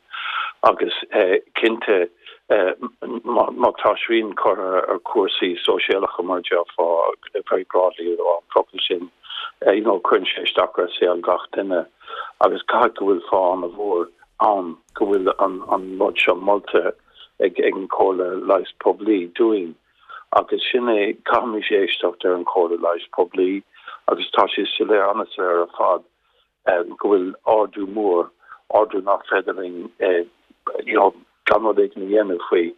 agus cinnte má tá srian curtha ar chúrsaí sóisialacha mar a déarfá, very broadly an focal sin, you know cuireann sé isteach ar saol gach duine agus caithfidh go bhfuil fáth ana-mhór ann go bhfuil an rud seo molta ag an Chomhairle Leighis Poiblí dúinn. Agus sin é, caithfimid éisteacht ar an chomhairle leighis poiblí agus tá sé soiléir, an-soiléir ar fad go bhfuil ardú mór, ardú nach féidir linn you know gan rud éigin a dhéanamh faoi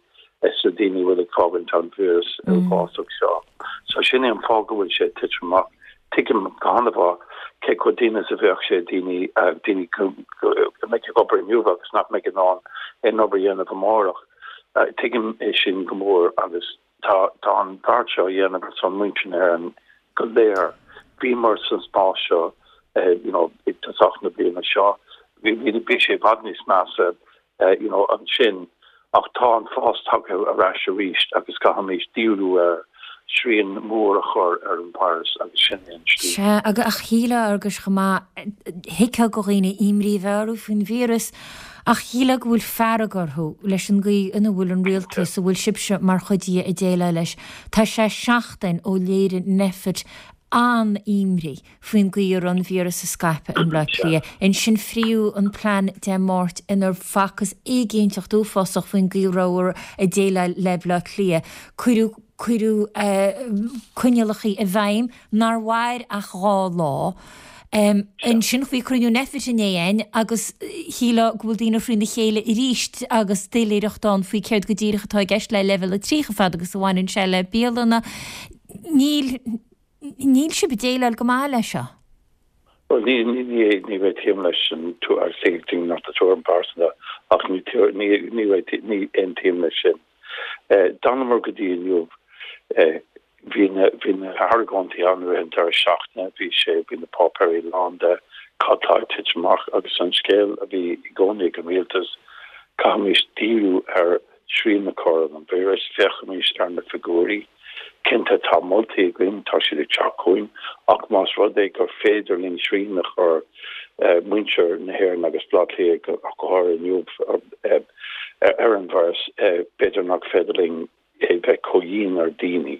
sna daoine a bhfuil ag fágaint an víreas uafásach seo. So sin é an fáth go bhfuil sé ag titim amach. Tuigim go han-mhaith cé chomh dian is a bheadh sé daoine, daoine go mbeidh ag obair inniu agus nach mbeidh in ann aon obair a dhéanamh amárach. Tuigim é sin go mór agus tá tá an beart seo á dhéanamh ar son muintir na hÉireann go léir. Bhíomar san spás seo you know ag tosach na bliana seo. Bhí bhí sé i bhfad níos measa you know ansin ach tá an fás tagtha ar ais arís agus caithfimid díriú ar srian mór a chur ar an virus agus sin é an slí. Sea, ach shílfeá, a Fhearghuis, chomh maith, thuigfeá do dhaoine imní a bheith orthu faoin víreas ach shílfeá go bhfuil fearg orthu leis an gcaoi ina bhfuil an rialtas, a bhfuil sibhse mar chuid dhe, ag déileáil leis. Tá sé seachtain ó léirigh Nphet an-imní faoin gcaoi a raibh an víreas ag scaipeadh i mBleá Cliath. Ansin fríodh an plean Dé Máirt inar facthas éiginnteacht uafásach faoin gcaoi a rabhthar ag déileáil le Bleá Cliath. Cuireadh cuireadh coinníollacha i bhfeidhm nár mhair ach dhá lá. Ansin bhí cruinniú Nphet inné againn agus shílfeá go bhfuil daoine thrína chéile arís agus doiléireacht ann faoi céard go díreach atá i gceist le leibhéal a trí chomh fada agus a bhaineann sé le bialanna. Níl níl sibh ag déileáil go maith leis seo. Bhuel, ní ní ní ní réitíonn leis an tuairim nach tuairim pearsanta ach ní ní ní ní aontaím leis sin. D'fhanamar go dtí inniu Bhí na, bhí na hargóintí ann i rith an deireadh seachtaine, bhí sé, bhí na páipéirí lán de cad tá ag titim amach agus an scéal a bhí i gcónaí ag an rialtas, caithfimís díriú ar srian a chur ar an víreas, féachaimis ar na figiúirí. Cinnte tá moltaí againn, tá siad ag teacht chugainn ach más rud é gur féidir linn srian a chur muintir na hÉireann agus Baile Átha Cliath ach go háirithe inniu ar an víreas, b'fhéidir nach féidir linn a bheith chomh dian ar daoine.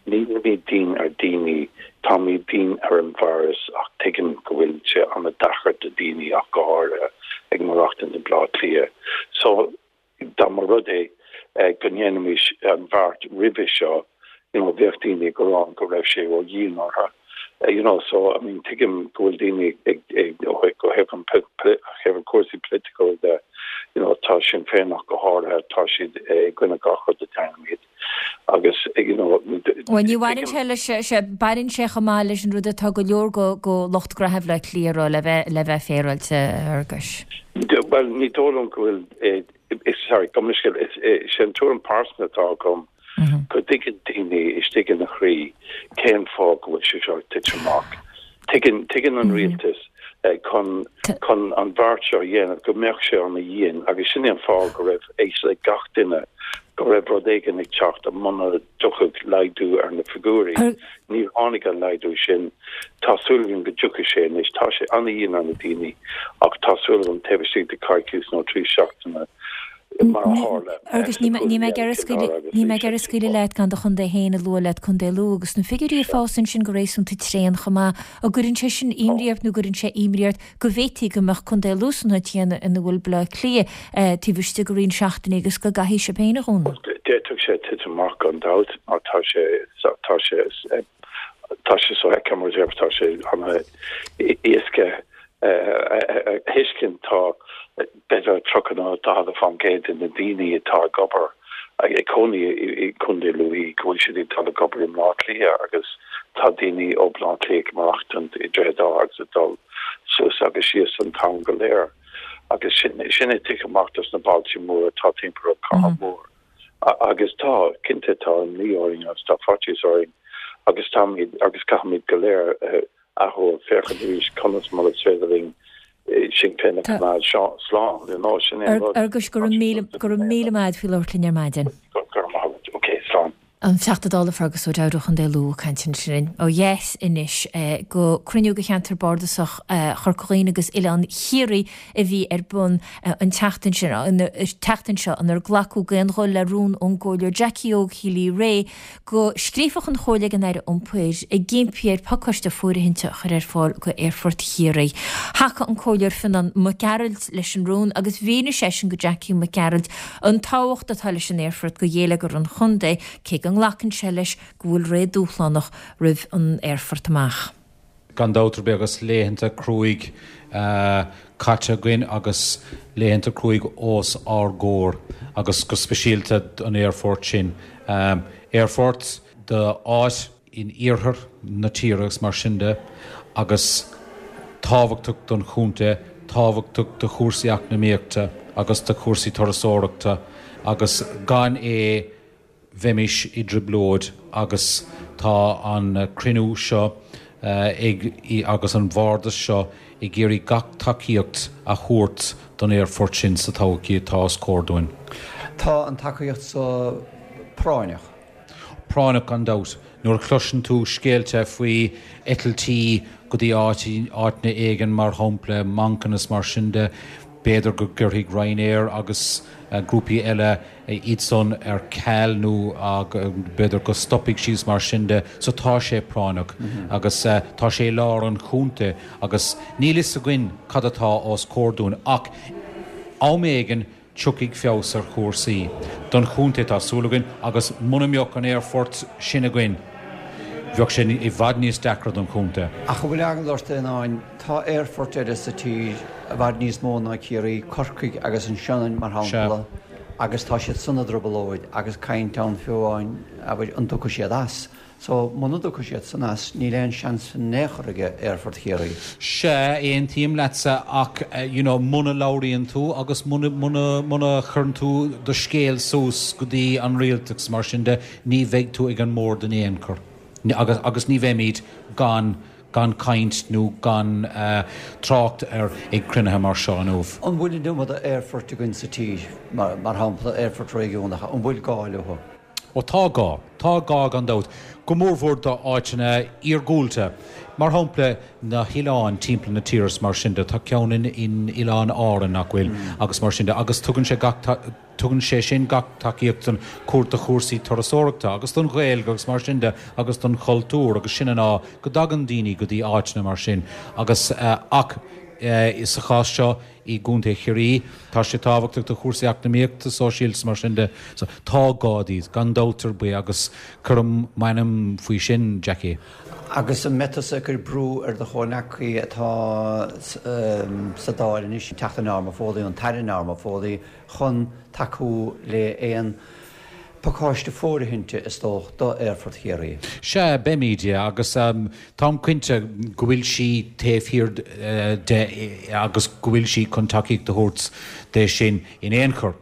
Nílimid dian ar daoine, táimid dian ar an víreas ach tuigim go bhfuil sé an-deacair do daoine ach go háirithe ag maireachtaint i mBleá Cliath. So dá mba rud é go ndéanfaimis an bheart roimhe seo, you know, bheadh daoine ag rá go raibh sé ró-dhian orthu. You know, so I mean tuigim go bhfuil daoine ag ag ó thaobh an thaobh an cúrsaí political de, you know, tá Sinn Féin ach go háirithe, tá siad i gcoinne gach rud a déanaimid agus you know Bhuel ní bhaineann sé leis sé baineann sé chomh maith leis an rud atá go leor go go lucht gnaithe Bhaile Átha Cliath a rá le bheith le bheith féaráilte a Fhearghuis. Bhuel ní dóigh liom go bhfuil sorry gabh mo leithscéal is é an tuairim pearsanta atá agam go dtuigeann daoine istigh ina chroí cén fáth go bhfuil sé seo ag titim amach. Tuigeann, tuigeann an rialtas chun, chun an bheart seo a dhéanamh go mbeadh sé ana-dhian agus sin é an fáth go raibh fhios ag gach duine go raibh rud éigin ag teacht muna dtiocfadh laghdú ar na figiúirí. Níor tháinig an laghdú sin. Tá súil agam go dtiocfaidh sé anois. Tá sé ana-dhian ar na daoine ach tá súil agam taobh istigh de coicís nó trí seachtaine mar a tharla Agus ní mé ag iarraidh scaoileadh leat gan do chontae féin a lua leat, Contae Lú, agus na figiúirí ag fás ansin go réasúnta tréan chomh maith. An gcuireann sé sin imní ort nó gcuireann sé imní ort go bhféadfaí go mbeadh Contae Lú san áit chéanna ina bhfuil Baile Átha Cliath taobh istigh de roinnt seachtainí agus go gcaithfidh sibh féin a dhúnadh? D'fhéadfadh sé titim amach gan dabht mar tá sé tá sé tá sé sofheicthe mar a déarfá tá sé an-éasca a thuiscint tá b'fhéidir tríocha nó daichead fán gcéad de na daoine atá ag obair ag cónaí i gContae Lú go bhfuil siad ag dul ag obair i mBleá Cliath agus tá daoine ó Bhleá Cliath ag maireachtaint i Droichead Átha agus ag dul suas agus síos an t-am go léir agus sin sin ag titim amach dos na bailte móra atá timpeall an chathair mhór agus tá cinnte tá imní orainn agus tá faitíos orainn agus táimid agus caithfimid go léir athuair féachaint arís conas mar is féidir linn sinn féin a choimeád slán, you know, sin é an rud. Fhearghuis, go raibh míle, go raibh míle maith agat faoi labhairt linn ar maidin. Go raibh maith agat. Ok, slán. An Teachta Dála Fergus O'Dowd ó Chontae Lú ag caint ansin ó dheas anois go cruinniú de cheantar bardasach Chorca Dhuibhne agus Oileán Chiarraí a bhí ar bun an tseachtain sin, an tseachtain seo inar glacadh d'aon ghuth le rún ón gComhairleoir Jackie Óg Healy-Rae go scríobhfadh an Chomhairle ag an Aire Iompair ag impí air pacáiste fóirithinte a chur ar fáil go Aerfort Chiarraí. Thacaigh an Comhairleoir Fionán Mac Gearailt leis an rún agus mhínigh seisean go Jackie Mac Gearailt an tábhacht atá leis an aerfort go gheilleagar an chontae, cé go nglacann sé leis go bhfuil ré dúshlánach roimh an aerfort amach. Gan dabht ar bith agus laethanta cruaidh caite againn agus laethanta cruaidh os ár gcomhair agus go speisialta an aerfort sin. Aerfort do áit in iarthar na tíre agus mar sin de agus tábhachtach don chontae, tábhachtach do chúrsaí eacnamaíochta agus do chúrsaí turasóireachta agus gan é bheimis i dtrioblóid agus tá an cruinniú seo ag agus an bhardas seo ag iarraidh gach tacaíocht a thabhairt don aerfort sin sa todhchaí atá os comhair dúinn. Tá an tacaíocht so práinneach. Práinneach gan dabht. Nuair a chloiseann tú scéalta faoi eitiltí go dtí áiteanna éigin, mar shampla Manchain is mar sin de, B'fhéidir go gcuirfidh Ryanair agus grúpaí eile iad san ar ceal nó b'fhéidir go stopfaidh siad mar sin de. So tá sé práinneach agus tá sé i lár an chontae agus níl fhios againn cad atá os comhair dúinn ach am éigin tiocfaidh feabhas ar chúrsaí don chontae tá súil againn agus muna mbeadh an aerfort sin againn bheadh sé i bhfad níos deacra don chontae. Ach an bhfuil eagla ort a Fhionnáin, tá aerfoirt eile sa tír i bhfad níos mó ná Ciarraí, Corcaigh agus an Sionainn mar shampla, agus tá siad san i dtrioblóid agus caint ann fiú amháin, abair, an dtiocfaidh siad as. So, muna dtiocfaidh siad san as, níl aon seans in aon chor ag Aerfort Chiarraí. Sea, aontaím leatsa ach you know muna labhraíonn tú agus muna, muna, muna chuireann tú do scéal suas go dtí an rialtas mar sin de, ní bheidh tú ag an mbord in aon chor. Agus, agus ní bheimid gan, gan caint nó gan trácht air ag cruinnithe mar seo inniu. An bhfuil an iomad aerfoirt againn sa tír, mar, mar shampla aerfoirt réigiúnacha, an bhfuil gá leo? Ó tá gá. Tá gá gan dabht. Go mórmhór do áiteanna iargúlta. Mar shampla na hoileáin timpeall na tíre is mar sin de. Tá ceann in in Oileáin Árann, nach bhfuil, agus mar sin de. Agus tugann sé gach tugann sé sin gach tacaíocht don chúr do chúrsaí turasóireachta agus don Ghaeilge agus mar sin de agus don chultúr agus sin an fháth go dtagann daoine go dtí áiteanna mar sin. Agus ach sa chás seo i gContae Chiarraí, tá sé tábhachtach do chúrsaí eacnamaíochta, sóisialta is mar sin de. So, tá gá díobh, gan dabht ar bith, agus cuirim m'ainm faoi sin, Jackie. Agus an mbeidh tusa ag cur brú ar do chomhghleacaí atá sa Dáil anois, an Teachta Norma Foley, an tAire Norma Foley, chun tacú le aon pacáiste fóirithinte, is dócha, do Aerfort Chiarraí. Sea, beimid, yeah, agus táim cinnte go bhfuil sí taobh thiar de agus go bhfuil sí chun tacaíocht a thabhairt de sin in aon chor.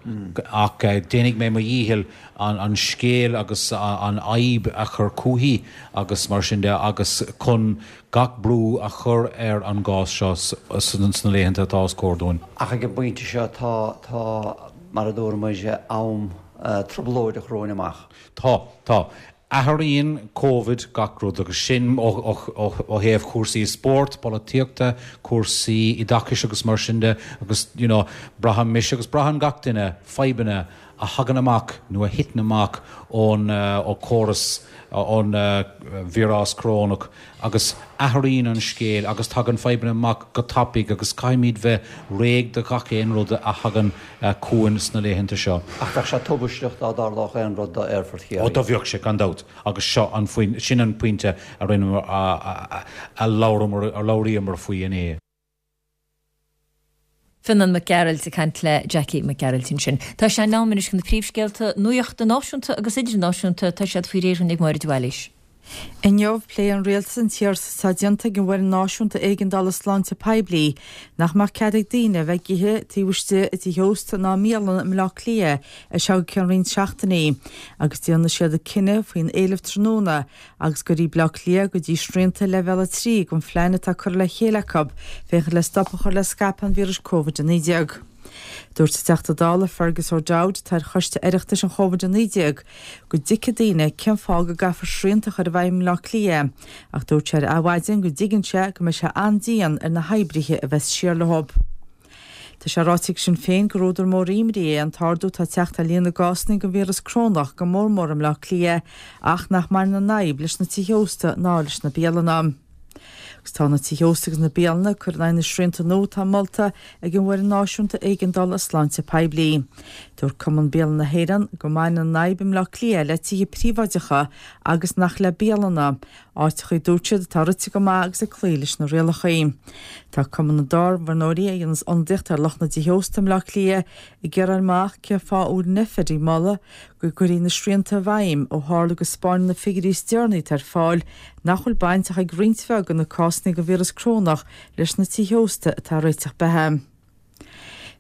Ach déanfaidh mé mo dhícheall an scéal agus an fhadhb a chur chúichi agus mar sin de agus chun gach brú a chur ar an gcás seo sna laethanta atá os comhair dúinn. Ach ag an bpointe seo tá, tá, mar a dúirt muid, am trioblóideach romhainn amach. Tá, tá. Athraíonn Covid gach rud agus sin ó thaobh chúrsaí spóirt, polaitíochta, cúrsaí oideachais agus mar sin de agus you know braitheann mise agus braitheann gach duine fadhbanna a thagann amach nó a thiteann amach ón ó chóras ón víreas corónach agus athraíonn an scéal agus tagann fadhbanna amach go tapaidh agus caithfimid bheith réidh do gach aon rud a thagann chugainn sna laethanta seo. Ach bheadh sé tubaisteach dá dtarlódh aon rud do Aerfort Chiarraí. Ó, do bheadh sé, gan dabht, agus seo an sin an pointe a rinneamar, a labhramar, a labhraíomar faoi inné. Fionán Mac Gearailt ag caint le Jackie Mac Gearailt ansin. Tá sé in am anois chun na príomhscéalta nuachta náisiúnta agus idirnáisiúnta, tá siad faoi réir ag Máire de Bhailís. Inniu, pléifidh an Rialtas an t-iarratas atá déanta ag an bhFoireann Náisiúnta Éigeandála Sláinte Poiblí nach mbeadh cead ag daoine a bheith ag ithe taobh istigh i dtithe ósta ná i mbialanna i mBleá Cliath ar feadh go ceann roinnt seachtainí agus déanfaidh siad cinneadh faoin éileamh tráthnóna agus go cuirfidh Bleá Cliath go dtí srianta leibhéal a trí den phlean atá curtha le chéile acu féachaint le stop a chur le scaipeadh an víris Covid a naoi déag. Dúirt an Teachta Dála Fergus O'Dowd, atá ar Choiste Oireachtais an Chóivid a naoi déag, go dtuigfeadh daoine cén fáth go gcaithfear srianta a chur i bhfeidhm i mBleá Cliath, ach dúirt sé ar Adhmhaidin go dtuigeann sé go mbeidh sé an-dian ar na hoibrithe a bheas siar leo. Tá sé ráite ag Sinn Féin gur údar mór imní é an t-ardú atá ag teacht ar líon na gcásanna den víreas corónach, go mór mór i mBleá Cliath, ach nach mbaineann an fhadhb leis na tithe ósta ná leis na bialanna. Agus tá na tithe ósta agus na bialanna ag cur in aghaidh na srianta nua atá molta ag an bhFoireann Náisiúnta Éigeandála Sláinte Poiblí. Dúirt Cumann Bialanna na hÉireann go mbaineann an fhadhb i mBleá Cliath le tithe príobháideacha agus nach le bialanna, áiteacha a dúirt siad atá rite go maith agus ag cloí leis na rialacha. Tá Cumann na dTábhairneoirí, a dhéanas ionadaíocht ar lucht na dtithe ósta i mBleá Cliath, ag iarraidh a fháil amach cén fáth a bhfuil an Nphet ag moladh go gcuirfí na srianta i bhfeidhm ó tharla go spáineann na figiúirí is deireanaí atá ar fáil nach bhfuil baint ach ag roinnt bheag de na cásanna den víreas corónach leis na tithe ósta atá ag réiteach beatha.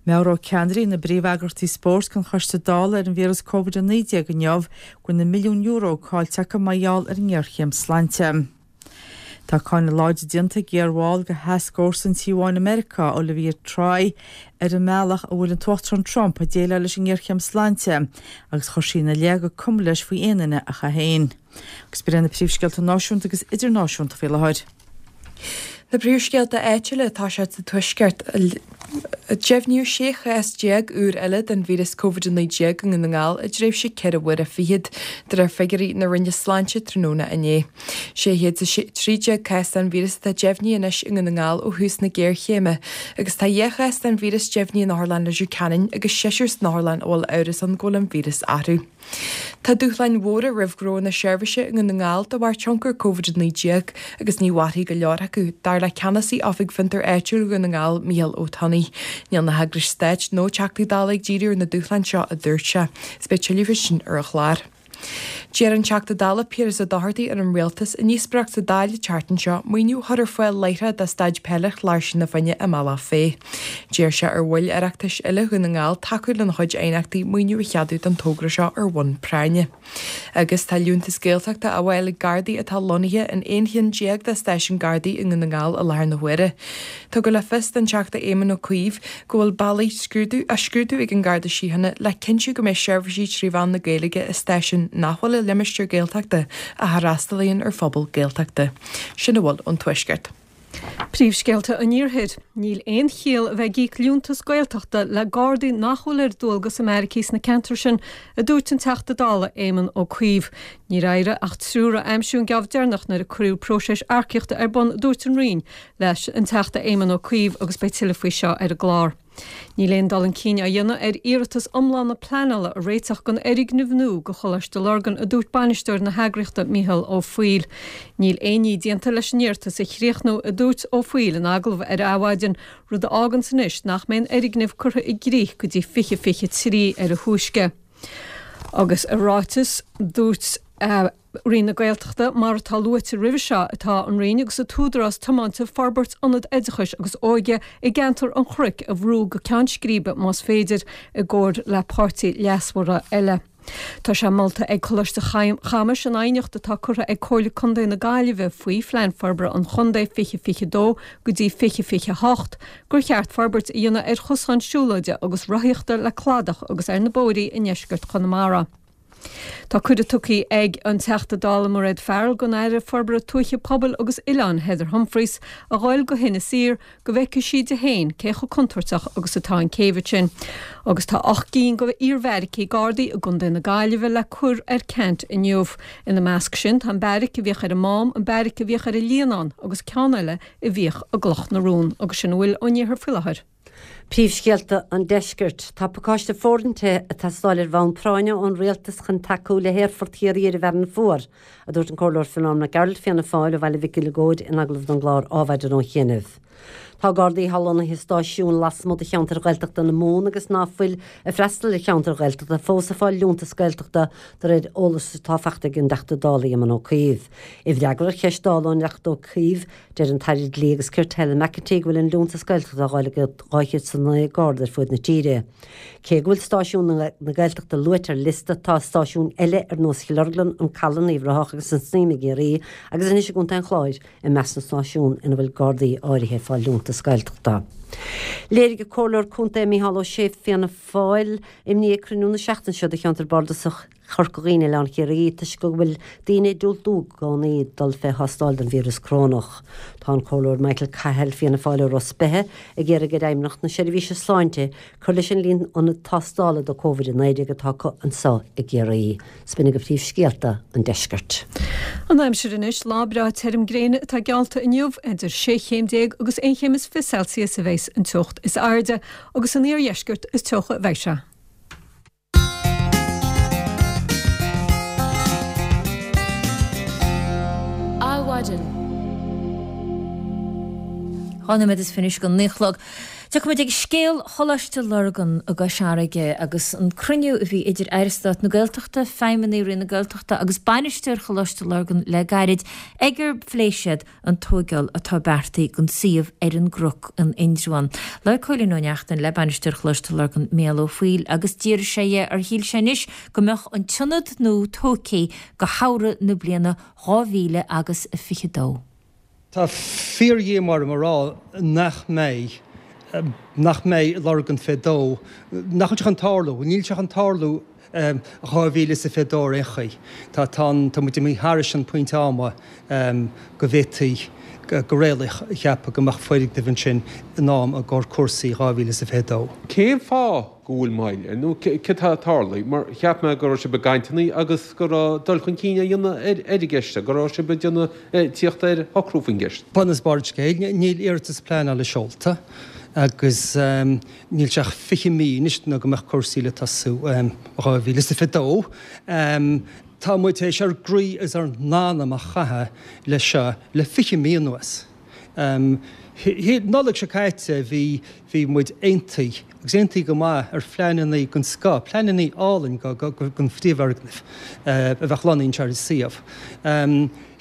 Meabhróidh ceannairí na bpríomheagraíochtaí spóirt don Choiste Dála ar an víreas Covid a naoi déag inniu go bhfuil na milliúin euro caillte acu mar gheall ar an ngéarchéim sláinte. Tá cáineadh láidir déanta ag iarbhall de Thascfhórsa an Tí Bháin i Meiriceá, Olivia Troye, ar an mbealach a bhfuil an tUachtarán Trump ag déileáil leis an ngéarchéim sláinte agus chuir sí ina leith gur cuma leis faoi aon duine ach é féin. Agus b'in iad na príomhscéalta náisiúnta agus idirnáisiúnta faoi láthair. Na príomhscéalta áitiúla atá siad sa Tuaisceart. Deimhníodh sé chás déag úr eile den víreas Covid a naoi déag i nDún na nGall i dtréimhse ceithre huaire fichead, de réir figiúirí na Roinne Sláinte tráthnóna inné. Sé chéad is a trí déag cás den víreas atá deimhnithe anois i nDún na nGall ó thús na géarchéime, agus tá dhá chás den víreas deimhnithe in Otharlann Leitir Ceanainn agus seisear san otharlann a bhfuil amhras ann go bhfuil an víreas orthu. Tá dúshláin mhóra roimh ghnónna seirbhíse i nDún na nGall de bharr tionchar Covid a naoi déag agus ní mhairfidh go leor acu, dar le Ceannasaí Oifig Fiontar Áitiúil Dhún na nGall, Mícheál Ó Tonnaigh. Níl na heagrais stáit nó Teachtaí Dála ag díriú ar na dúshláin seo, a dúirt sé. Is beidh tuilleadh faoi sin ar an chlár. D'iarr an Teachta Dála Piaras Ó Dochartaigh ar an Rialtas i ndíospóireacht sa Dáil an tseachtain seo maoiniú a chur ar fáil láithreach do staid peile Chláirsigh na Finne i mBealach Féich. D'iarr sé ar bhaill Oireachtais uile Dhún na nGall tacú lena chuid aighneachtaí maoiniú a cheadú don togra seo ar bhonn práinne. Agus tá liúntas Gaeltachta á fháil ag Gardaí atá lonnaithe in aon cheann déag de stáisiúin Gardaí i nDún na nGall i láthair na huaire. Tugadh le fios don Teachta Éamon Ó Cuív go bhfuil bealaí scrúdú á scrúdú ag an Garda Síochána le cinntiú go mbeidh seirbhísí trí mheán na Gaeilge i stáisiúin nach bhfuil i limistéar Gaeltachta ach a fhreastalaíonn ar phobal Gaeltachta. Sin a bhfuil ón Tuaisceart. Príomhscéalta an Iarthair. Níl aon chiall a bheith ag íoc liúntas Gaeltachta le Gardaí nach bhfuil ar dualgas i mbeairicí sna ceantair sin, a dúirt an Teachta Dála Éamon Ó Cuív. Níor éirigh ach triúr a aimsiú an geábh deireanach nuair a cuireadh próiseas earcaíochta ar bun, a dúirt an Roinn leis an Teachta Éamon Ó Cuív agus beidh tuilleadh faoi seo ar an gclár. Níl aon dul chun cinn á dhéanamh ar iarratas iomlána pleanála a réiteach don fhoirgneamh nua do Choláiste Lurgan, a dúirt bainisteoir na heagraíochta Mícheál Ó Foighil. Níl aon ní déanta leis an iarratas a chríochnú, a dúirt Ó Foighil in agallamh ar Adhmhaidin, rud a fháganns anois nach mbeidh an fhoirgneamh curtha i gcrích go dtí fiche fiche trí ar a thúisce. Agus i ráiteas, dúirt Roinn na Gaeltachta, mar atá luaite roimhe seo, tá an Roinn agus an tÚdarás tiomanta forbairt ionad oideachais agus óige i gceantar an Chnoic a bhrú go ceann scríbe más féidir, i gcomhar le páirtithe leasmhara eile. Tá sé molta ag Coláiste Chamuis in aighneacht atá curtha ag Comhairle Contae na Gaillimhe faoi Phlean Forbartha an Chontae fiche fiche dó go dtí fiche fiche a hocht gur cheart forbairt a dhéanamh ar chosáin siúlóide agus rothaíochta le cladach agus ar na bóithrí i ndeisceart Chonamara. Tá cuireadh tugtha ag an Teachta Dála Mairéad Farrell don Aire Forbartha Tuaithe, Pobail agus Oileán Heather Humphreys a ghoil go hInis Oírr go bhfeicfidh sí di féin cé chomh contúirteach agus atá an céibh sin. Agus tá ocht gcinn de iarbheairicí Gardaí i gContae na Gaillimhe le cur ar ceant inniu. Ina measc sin tá an beairic a bhíodh ar an Mám, an beairic a bhíodh ar an Líonán agus ceann eile a bhíodh i gCloch na Rón. Agus sin a bhfuil ón iarthar faoi láthair. Príomhscéalta an Deiscirt. Tá pacáiste fóirithinte ag teastáil ar bhonn práinne ón Rialtas chun tacú le hAerfort Chiarraí ar an bhFearann Fuar, a dúirt an Comhairleoir Fionán Mac Gearailt, Fianna Fáil, ó Bhaile Mhic Uileagóid in agallamh don gclár Adhmhaidin ó chianaibh. Tá Gardaí atá lonnaithe i stáisiúin lasmuigh de cheantair Ghaeltachta na Mumhan agus ná fuil ag freastal ar cheantair Ghaeltachta fós ag fáil liúntas Gaeltachta de réir eolais atá faighte ag an dTeachta Dála Éamon Ó Cuív. I bhfreagra ar cheist Dála ón dTeachta Ó Cuív, Deir an tAire Dlí agus Cirt Helen McEntee go bhfuil an liúntas Gaeltachta á fháil ag dhá chéad is a naoi Garda ar fuaid na tíre. Cé go bhfuil stáisiúin na Gaeltachta luaite ar liosta, tá stáisiúin eile ar nós Chill Orglan, An Caladh, Uíbh Ráthach agus an Snaidhm i gCiarraí agus anois i gContae an Chláir i measc na stáisiún ina bhfuil Gardaí áirithe ag fáil liúntas Gaeltachta. Léirigh an Comhairleoir Contae Micheál Ó Sé, Fianna Fáil, imní ag cruinniú na seachtaine seo de cheantar bardasach Chorca Dhuibhne Oileán Chiarraí toisc go bhfuil daoine ag diúltú i gcónaí dul fé thástáil don víreas corónach. Tá an Comhairleoir Michael Cahill, Fianna Fáil ó Ros Beithe, ag iarraidh ar Fheidhmeannacht na Seirbhíse Sláinte cur leis an líon ionad tástála do Covid a naoi déag atá acu anseo i gCiarraí. 'S b'in agaibh príomhscéalta an deiscirt. An aimsir anois, lá breá tirim gréine atá geallta inniu, idir sé chéim déag agus aon chéim is fiche Celsius a bheas an teocht is airde, agus san iardheisceart is teocha a bheidh sé. Adhmhaidin. Dhá nóiméad is fiche anois go naoi a chlog. Tiocfaimid ag scéal Choláiste Lurgan i gCois Fharraige agus an cruinniú a bhí idir Aire Stáit na Gaeltachta, feidhmeannaigh Roinn na Gaeltachta agus bainisteoir Choláiste Lurgan le gairid ag ar phléigh siad an tóigeáil atá beartaithe don suíomh ar an gCnoc in Indreabhán. Labhair Cóilín Ó Neachtain le bainisteoir Choláiste Lurgan, Mícheál Ó Foighil, agus d'fhiafraigh sé dhe ar shíl sé anois go mbeadh an t-ionad nua tógtha go shamhradh na bliana dhá mhíle agus a fiche dó. Tá fíordhíomá orm a rá nach mbeidh, nach mbeidh Lurgan fé dó, nach bhfuil sé chun tarlú, níl sé chun tarlú dhá mhíle is a fiche dó ar aon chaoi. Tá tá tá muid imithe thairis an pointe ama go bhféadfaí go réalaíoch a cheapadh go mbeadh foirgneamh ansin in am i gcomhair cúrsaí dhá mhíle is a fiche dó. Cén fáth go bhfuil moill air nó céard atá ag tarlú? Mar cheap mé go raibh sibh i gcainteanna agus go raibh dul chun cinn á dhéanamh ar an gceist seo, go raibh sibh ag déanamh tíocht ar shocrú faoin gceist. Bun is barr an scéil, níl iarratas pleanála seolta agus níl sé ach fiche mí anois nó go mbeadh cúrsaí le tosú dhá mhíle is a fiche dó. Tá muid tar éis ár gcroí is ár n-anam a chaitheamh leis seo le fiche mí anuas. Nollaig seo caite bhí bhí muid aontaithe, agus aontaithe go maith, ar phleananna den scoth, pleananna álainn don phríomhfhoirgneamh a bheadh lonnaithe anseo ar an suíomh.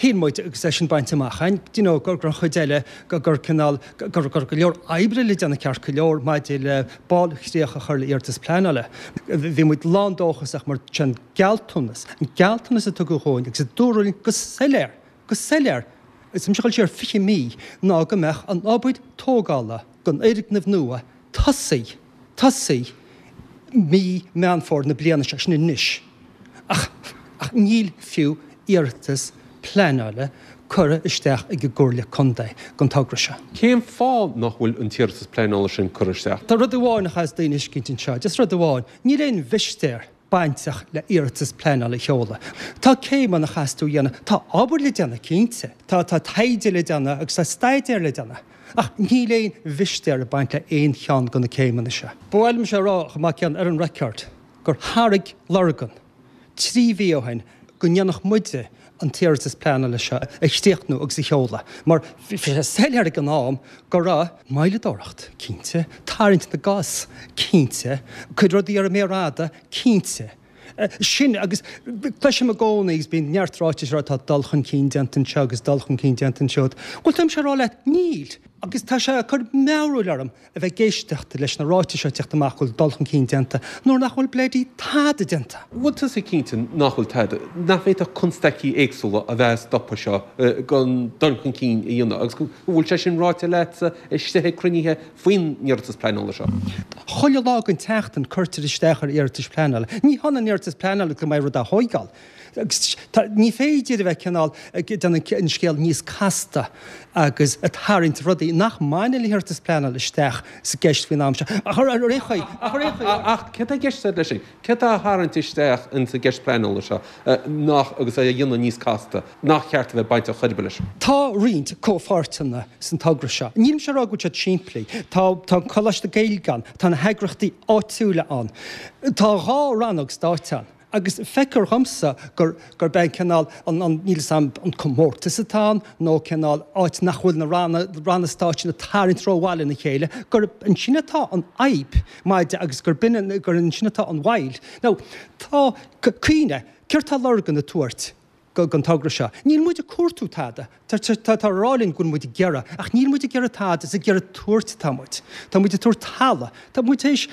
Shíl muid, agus é sin bainte amach againn, do you know, gur an chuid eile, gur cineál, go raibh go leor oibre le déanamh ceart go leor maidir le bailchríoch a chur le iarratas pleanála. Bhí muid lán-dóchasach mar sin gealltanas, an gealltanas a tugadh dhúinn agus a dúradh linn go soiléir, go soiléir, is tá mise ag dul siar fiche mí, ná go mbeadh an obair tógála don fhoirgneamh nua tosaithe, tosaithe mí Meán Fómhair na bliana seo, sin anois. Ach, ach níl fiú iarratas pleanála curtha isteach ag an gComhairle Contae don togra seo. Cén fáth nach bhfuil an t-iarratas pleanála sin curtha isteach? Tá rud amháin a chaithfeas daoine a thuiscint anseo, just rud amháin, níl aon mhistéir bainteach le iarratas pleanála a sheoladh. Tá céimeanna a chaithfeas tú a dhéanamh, tá obair le déanamh cinnte, tá tá taighde le déanamh agus tá staidéar le déanamh, ach níl aon mhistéir ag baint le aon cheann de na céimeanna seo. Ba mhaith liomsa a rá chomh maith céanna ar an record gur thairg Lurgan trí mhí ó shin go ndéanfadh muide an t-iarratas pleanála seo a chríochnú agus a sheoladh, mar bhí sé soiléir ag an am go raibh moilleadóireacht, cinnte, tarraingt na gcos, cinnte, cuid rudaí ar an méar fhada, cinnte. Sin agus cloisim i gcónaí agus bíonn neart ráitis ag rá tá dul chun cinn déanta anseo agus dul chun cinn déanta ansiúd. Bhuel, táimse ag rá leat, níl! Agus tá sé ag cur mearbhaill orm a bheith ag éisteacht leis na ráitis seo ag teacht amach go bhfuil dul chun cinn déanta nuair nach bhfuil bloody tada déanta. Bhfuil tusa cinnte nach bhfuil tada, nach bhféadfadh constaicí éagsúla a bheith ag stopadh seo den dul chun cinn a dhéanamh agus go bhfuil sé sin ráite leatsa istigh ag cruinnithe faoin iarratas pleanála seo? Chuile lá den tseachtain cuirtear isteach ar iarratais pleanála. Ní hionann iarratas pleanála go mbeidh rud á thóigeáil. Agus ní féidir a bheith cineál ag déanamh an scéal níos casta agus ag tarraingt rudaí nach mbaineann le hiarratas pleanála isteach sa gceist faoin am seo. Ach ar aon chaoi, ach ar aon chaoi. Ach céard tá i gceist agat leis sin? Céard tá á tharraingt isteach insa gceist pleanála seo nach, agus é a dhéanamh níos casta, nach cheart a bheith bainteach chor ar bith leis? Tá roinnt comhpháirteanna san togra seo. Nílimse ag rá go bhfuil siad simplí. Tá, tá an Coláiste Gaeilge ann, tá na heagraíochtaí áitiúla ann, tá dhá rannóg stáit ann. Agus feictear dhomsa gur, gurb é an cineál, an, an, níl 'fhios a'm an comórtas atá ann nó cineál áit nach bhfuil na ranna, ranna stáit sin ag tarraingt rómhaith lena chéile, gurb ansin atá an fhadhb maidir agus gurb in, gur ansin atá an mhoill. Now, tá, cuimhnigh, céard tá Lurgan ag tabhairt don togra seo? Níl muid ag cuartú tada. Tá á rá linn go bhfuil muid ag iarraidh, ach níl muid ag iarraidh tada, is ag iarraidh tabhairt atá muid. Tá muid ag tabhairt talamh. Tá muid tar éis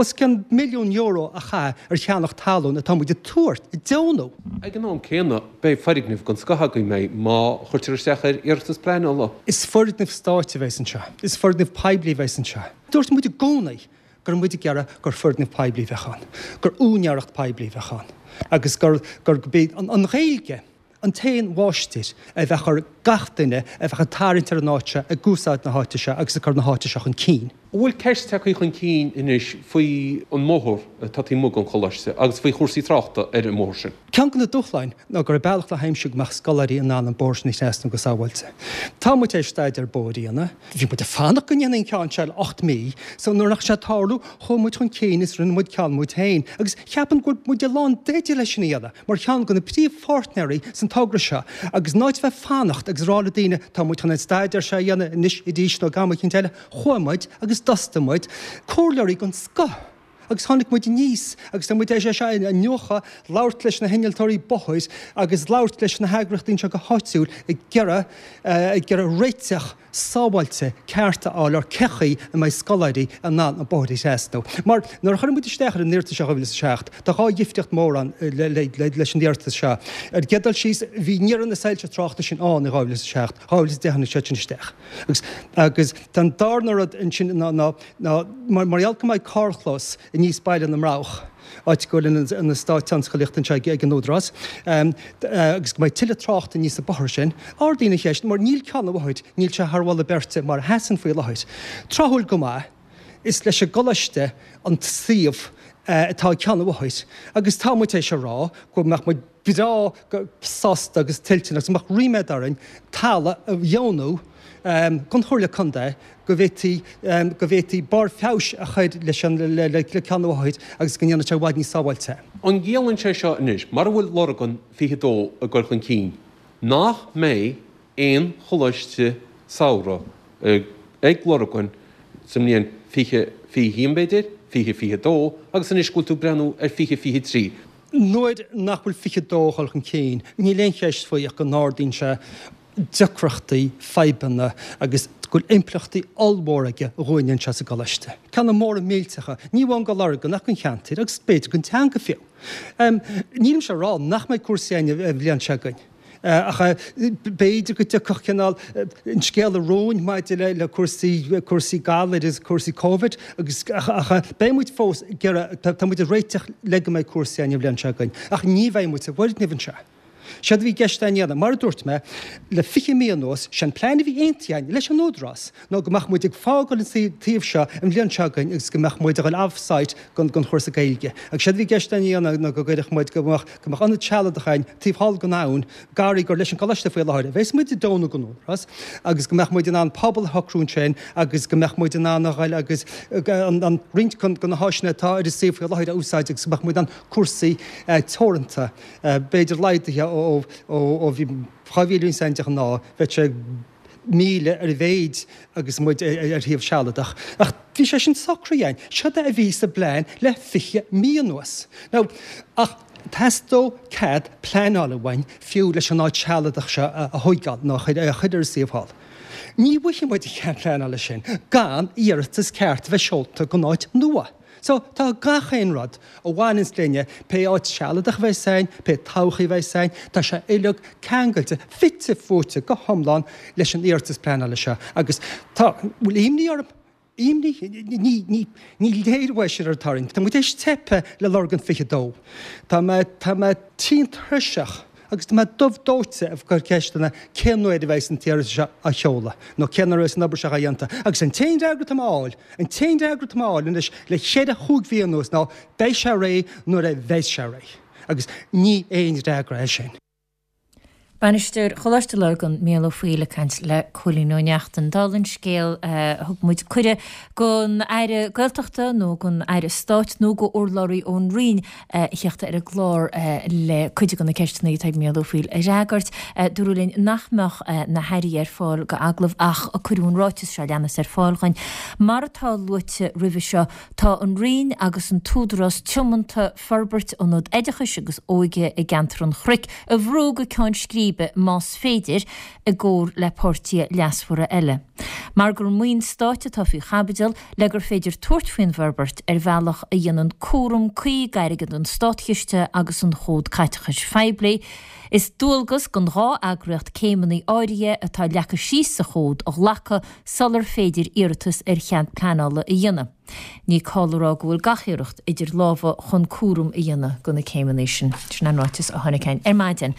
os cionn milliún euro a chaitheamh ar cheannach talún atá muid ag tabhairt, ag deonú. Ag an am céanna, beidh foirgneamh den scoth againn, mbeidh, má chuirtear isteach ar iarratas pleanála. Is foirgneamh stáit a bheas anseo. Is foirgneamh poiblí a bheas anseo. Dúirt muid i gcónaí go raibh muid ag iarraidh gur foirgneamh poiblí a bheadh ann, gur úinéireacht poiblí a bheadh ann agus gur, gur, gurb í an Ghaeilge an t-aon mháistir a bheadh ar gach duine a bheadh ag tarraingt ar an áit seo, ag úsáid na háite seo agus ag cur na háite seo chun cinn. An bhfuil ceist tagtha chun cinn anois faoi an mbóthar atá taobh amuigh den choláiste agus faoi chúrsaí tráchta ar an mbóthar sin? Ceann de na dúshláin ná go raibh bealach le haimsiú go mbeadh scoláirí in ann an bóthar sin a thrasnú go sábháilte. Tá muid tar éis staidéar bóthair a dhéanamh. Bhí muid ag fanacht go ndéanfaí an ceann seo le ocht mí, so nuair nach raibh sé ag tarlú, chuaigh muid chun cinn is rinne muid ceann muid féin. Agus cheapaim go bhfuil muid i lán-dteideal leis sin a dhéanamh, mar cheann de na príomhpháirtnéirí san togra seo, agus in áit bheith ag fanacht agus rá le daoine tá muid chun an staidéar seo a dhéanamh anois arís nó ag am eicínt eile, chuaigh muid agus d'fhostaigh muid comhairleoirí den scoth agus tháinig muid aníos agus tá muid tar éis é seo a iniúchadh, labhairt leis na hinnealtóirí bóthair agus labhairt leis na heagraíochtaí anseo go háitiúil ag iarraidh ag iarraidh réiteach sábháilte ceart a fháil ar cé chaoi a mbeidh scoláirí in ann an bóthar a thrasnú. Mar nuair a chuir muid isteach ar an iarratas seo dhá mhíle is a seacht, tá dhá dhifríocht mhór ann leis an iarratas seo. Ar an gcéad dul síos, bhí ní raibh na soilse tráchta sin ann i dhá mhíle is a seacht, dhá mhíle is a deich tháinig siad sin isteach. Agus agus tá an darna rud ansin ná ná ná mar mar gheall go mbeidh carrchlós aníos Baile na mBroghach, áit go bhfuil an eastát tionsclaíochta anseo ag an Údarás, agus go mbeidh tuilleadh tráchta aníos an bóthar sin. Ardaíonn an cheist, mar níl Ceann an Bhóthair, níl sé thar mholadh beirte mar a sheasann faoi láthair. Tráthúil go maith, is leis an gcoláiste an suíomh atá ag Ceann an Bhóthair agus tá muid tar éis a rá go mbeadh muid breá sásta agus toilteanach agus go mbeadh ríméad orainn talamh a dheonú don Chomhairle Contae go bhféadfaí go bhféadfaí barr feabhais a chur leis an le Ceann an Bhóthair agus go ndéanfadh sé i bhfad níos sábháilte. An gciallaíonn sé seo anois, mara bhfuil Lurgan fiche a dó ag dul chun cinn, nach mbeidh aon choláiste samhraidh ag Lurgan sa mbliain fiche fiche haon b'fhéidir, fiche fiche dó agus anois go bhfuil tú ag breathnú ar fiche fiche trí? Nuair nach bhfuil fiche dó ag dul chun cinn, níl aon cheist faoi ach go n-ardaíonn sé deacrachtaí, fadhbanna agus go bhfuil impleachtaí ollmhóra aige dhúinne anseo sa gcoláiste. Ceanna móra millteacha, ní amháin go Lurgan ach don cheantar agus b'fhéidir don teanga fiú. Nílimse ag rá nach mbeidh cúrsaí againn an bhliain seo chugainn ach b'fhéidir go dtiocfadh cineál an scéal i rúin maidir le cúrsaí cúrsaí galair agus cúrsaí Covid agus ach beidh muid fós ag iarraidh, tá muid ag réiteach le go mbeidh cúrsaí againn an bhliain seo chugainn ach ní bheidh muid sa bhfoirgneamh anseo. Séard a bhí i gceist againn a dhéanamh, mar a dúirt mé, le fiche mí anuas, sé an plean a bhí aontaithe againn leis an Údarás ná go mbeadh muid ag fágáil an suíomh seo an bhliain seo chugainn agus go mbeadh muid ag dul off-site don chúrsa Gaeilge. Agus séard a bhí i gceist againn a dhéanamh ná go gcuirfeadh muid, go mbeadh, go mbeadh ionad sealadach againn taobh thall den abhainn, garraí gur leis an gcoláiste faoi láthair a bheas muid ag deonú don Údarás agus go mbeadh muid in ann pobal a shocrú ansin agus go mbeadh muid in ann a dhul agus an roinnt de na háiseanna atá ar an suíomh faoi láthair a úsáid agus go mbeadh muid in ann cúrsaí teoranta b'fhéidir laghdaithe ó ó bhí dhá mhíle duine ann de ghnáth, bheadh sé míle ar a mhéid agus muid ar shuíomh sealadach. Ach bhí sé sin socraithe againn. Seod é a bhí sa bplean le fiche mí anuas. Now, ach theastódh cead pleanála uainn fiú leis an áit shealadach seo a thóigeáil nó a chur ar an suíomh thall. Ní bhfaighidh muid an cead pleanála sin gan iarratas ceart a bheith seolta don áit nua. So, tá gach aon rud a bhaineanns linne, pé áit sealadach a bheas againn, pé todhchaí a bheas againn, tá sé uileag ceangailte, fite fuaite go hiomlán leis an iarratas pleanála seo. Agus tá, bhfuil imní orm? Imní? Ní, ní, ní léir uaidh sin ar an tarraingt. Tá muid théis teipe le Lurgan fiche dó. Tá mé, tá mé tinn tuirseach. Agus tá mé dubh dóite ag cur ceisteanna cén uair a bheas an t-iarratas seo á sheoladh nó cén uair a bheas an obair seo á dhéanta. Agus an t-aon fhreagra atá mé a fháil, an t-aon fhreagra atá mé a fháil anois le cheithre chúig mhí anuas ná beidh sé réidh nuair a bheas sé réidh. Agus ní aon fhreagra é sin. Bainisteoir Choláiste Lurgan, Mícheál Ó Foighil ag caint le Cóilín Ó Neachtain. Dála an scéil, thug muid cuireadh don Aire Gaeltachta nó don Aire Stáit nó do urlabhraí ón Roinn a theacht ar an gclár le cuid de na ceisteanna atá ag Mícheál Ó Foighil a fhreagairt. Dúradh linn nach mbeadh na hairí ar fáil go agallamh ach cuireadh an ráiteas seo a leanas ar fáil dhuinn. Mar atá luaite roimhe seo, tá an Roinn agus an tÚdarás tiomanta forbairt ionad oideachais agus óige i gceantar an Chnoic a bhrú go ceann scríbe más féidir, i gcomhar le páirtithe leasmhara eile. Mar gur maoin stáit atá faoi chaibidil, le gur féidir tabhairt faoin bhforbairt ar bhealach a dhéanann cúram cuí d'airgead an Státchiste agus an Chód Caiteachais Phoiblí, is dualgas don dhá eagraíocht céimeanna áirithe atá leagtha síos sa Chód a ghlacadh sular féidir iarratas ar chead pleanála a dhéanamh. Ní call a rá go bhfuil gach iarracht idir lámha chun cúram a dhéanamh de na céimeanna sin. Sin an ráiteas a tháinig chugainn ar maidin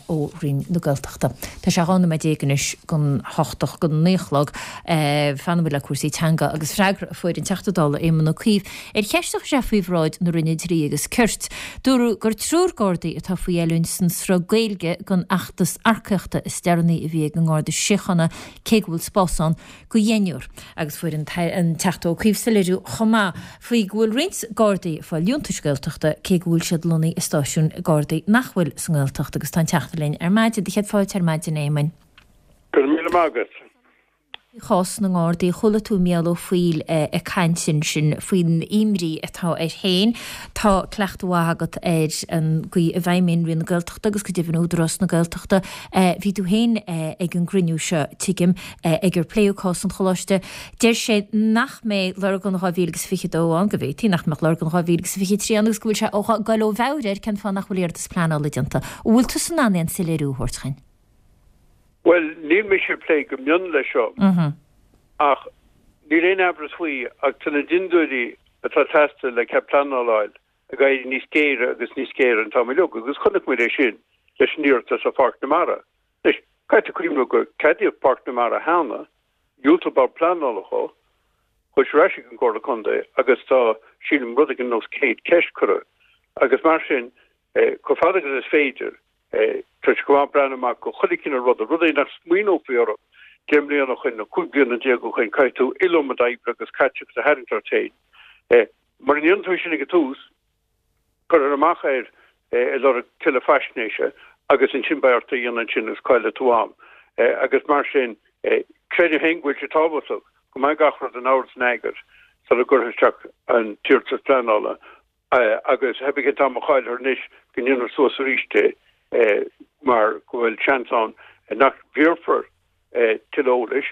ó Roinn na Gaeltachta. Tá sé dhá nóiméad déag anois don hocht, don naoi a chlog. Fanfaidh muid le cúrsaí teanga agus freagra a fuair an Teachta Dála Éamon Ó Cuív ar cheist a chuir sé faoi bhráid na Roinne Dlí agus Cirt. Dúradh gur triúr Gardaí atá faoi oiliúint san sruth Gaeilge don fheachtas earcaíochta is deireanaí a bhí ag an nGarda Síochána cé go bhfuil spás ann go dheichniúr agus fuair an Teachta Ó Cuív soiléiriú chomh maith faoi go bhfuil roinnt Gardaí ag fáil liúntais Gaeltachta cé go bhfuil siad lonnaithe i stáisiúin Gardaí nach bhfuil sa nGaeltacht agus tá an Teachta linn ar maidin. Do chéad fáilte ar maidin, a Éamoinn. Go raibh míle maith agat. Faoi chás na nGardaí, chuala tú Mícheál Ó Foighil ag caint ansin faoin imní atá air féin. Tá cleachtadh mhaith agat ar an gcaoi a bhfeidhmíonn Roinn na Gaeltachta agus go deimhin Údarás na Gaeltachta. Bhí tú féin ag an gcruinniú seo, tuigim, ag ar pléadh cás an Choláiste. Deir sé nach mbeidh Lurgan dhá mhíle agus fiche dó ann, go bhféadfaí nach mbeadh Lurgan dhá mhíle agus fiche trí ann agus go bhfuil sé ag goil ó mheabhair air cén fáth nach bhfuil iarratas pleanála déanta. An bhfuil tusa in ann aon soiléiriú a thabhairt dhuinn? Bhuel, níl mise ag plé go mion leis seo, ach níl aon amhras faoi ach tá na dintiúirí atá ag teastáil le cead pleanála a fháil. ag éirí níos géire agus níos géire an t-am uilig agus chonaic muid é sin leis an iarratas ar Pháirc na Mara. Anois, caithfidh tú cuimhneamh gur ceadaíodh Páirc na Mara cheana, dhiúltaigh Bord Pleanála dhó, chuaigh sé ar ais ag an gComhairle Contae agus tá, sílim, rud éigin ar nós céad ceist curtha agus mar sin, chomh fada agus is féidir, tá sé go maith breathnú amach go chuile chineál ruda, rudaí nach smaoineofaí orthu deich mbliana ó shin nó cúig bliana déag ó shin, caithfidh tú iliomad oibre agus caiteachas a tharraingt ort féin. Mura ndéanann tú é sin ag an tús, cuirfear amach air ag lorg tuilleadh faisnéise agus ansin beidh ort é a dhéanamh ansin agus caillfidh tú am. Agus mar sin, creidim féin go bhfuil sé tábhachtach go mbeidh gach rud in ord is in eagar sula gcuirfear isteach an t-iarratas pleanála agus theip an t-am a chaillfear anois go ndéanfar suas arís é mar go bhfuil seans ann nach bhfiarfar tuilleadh eolais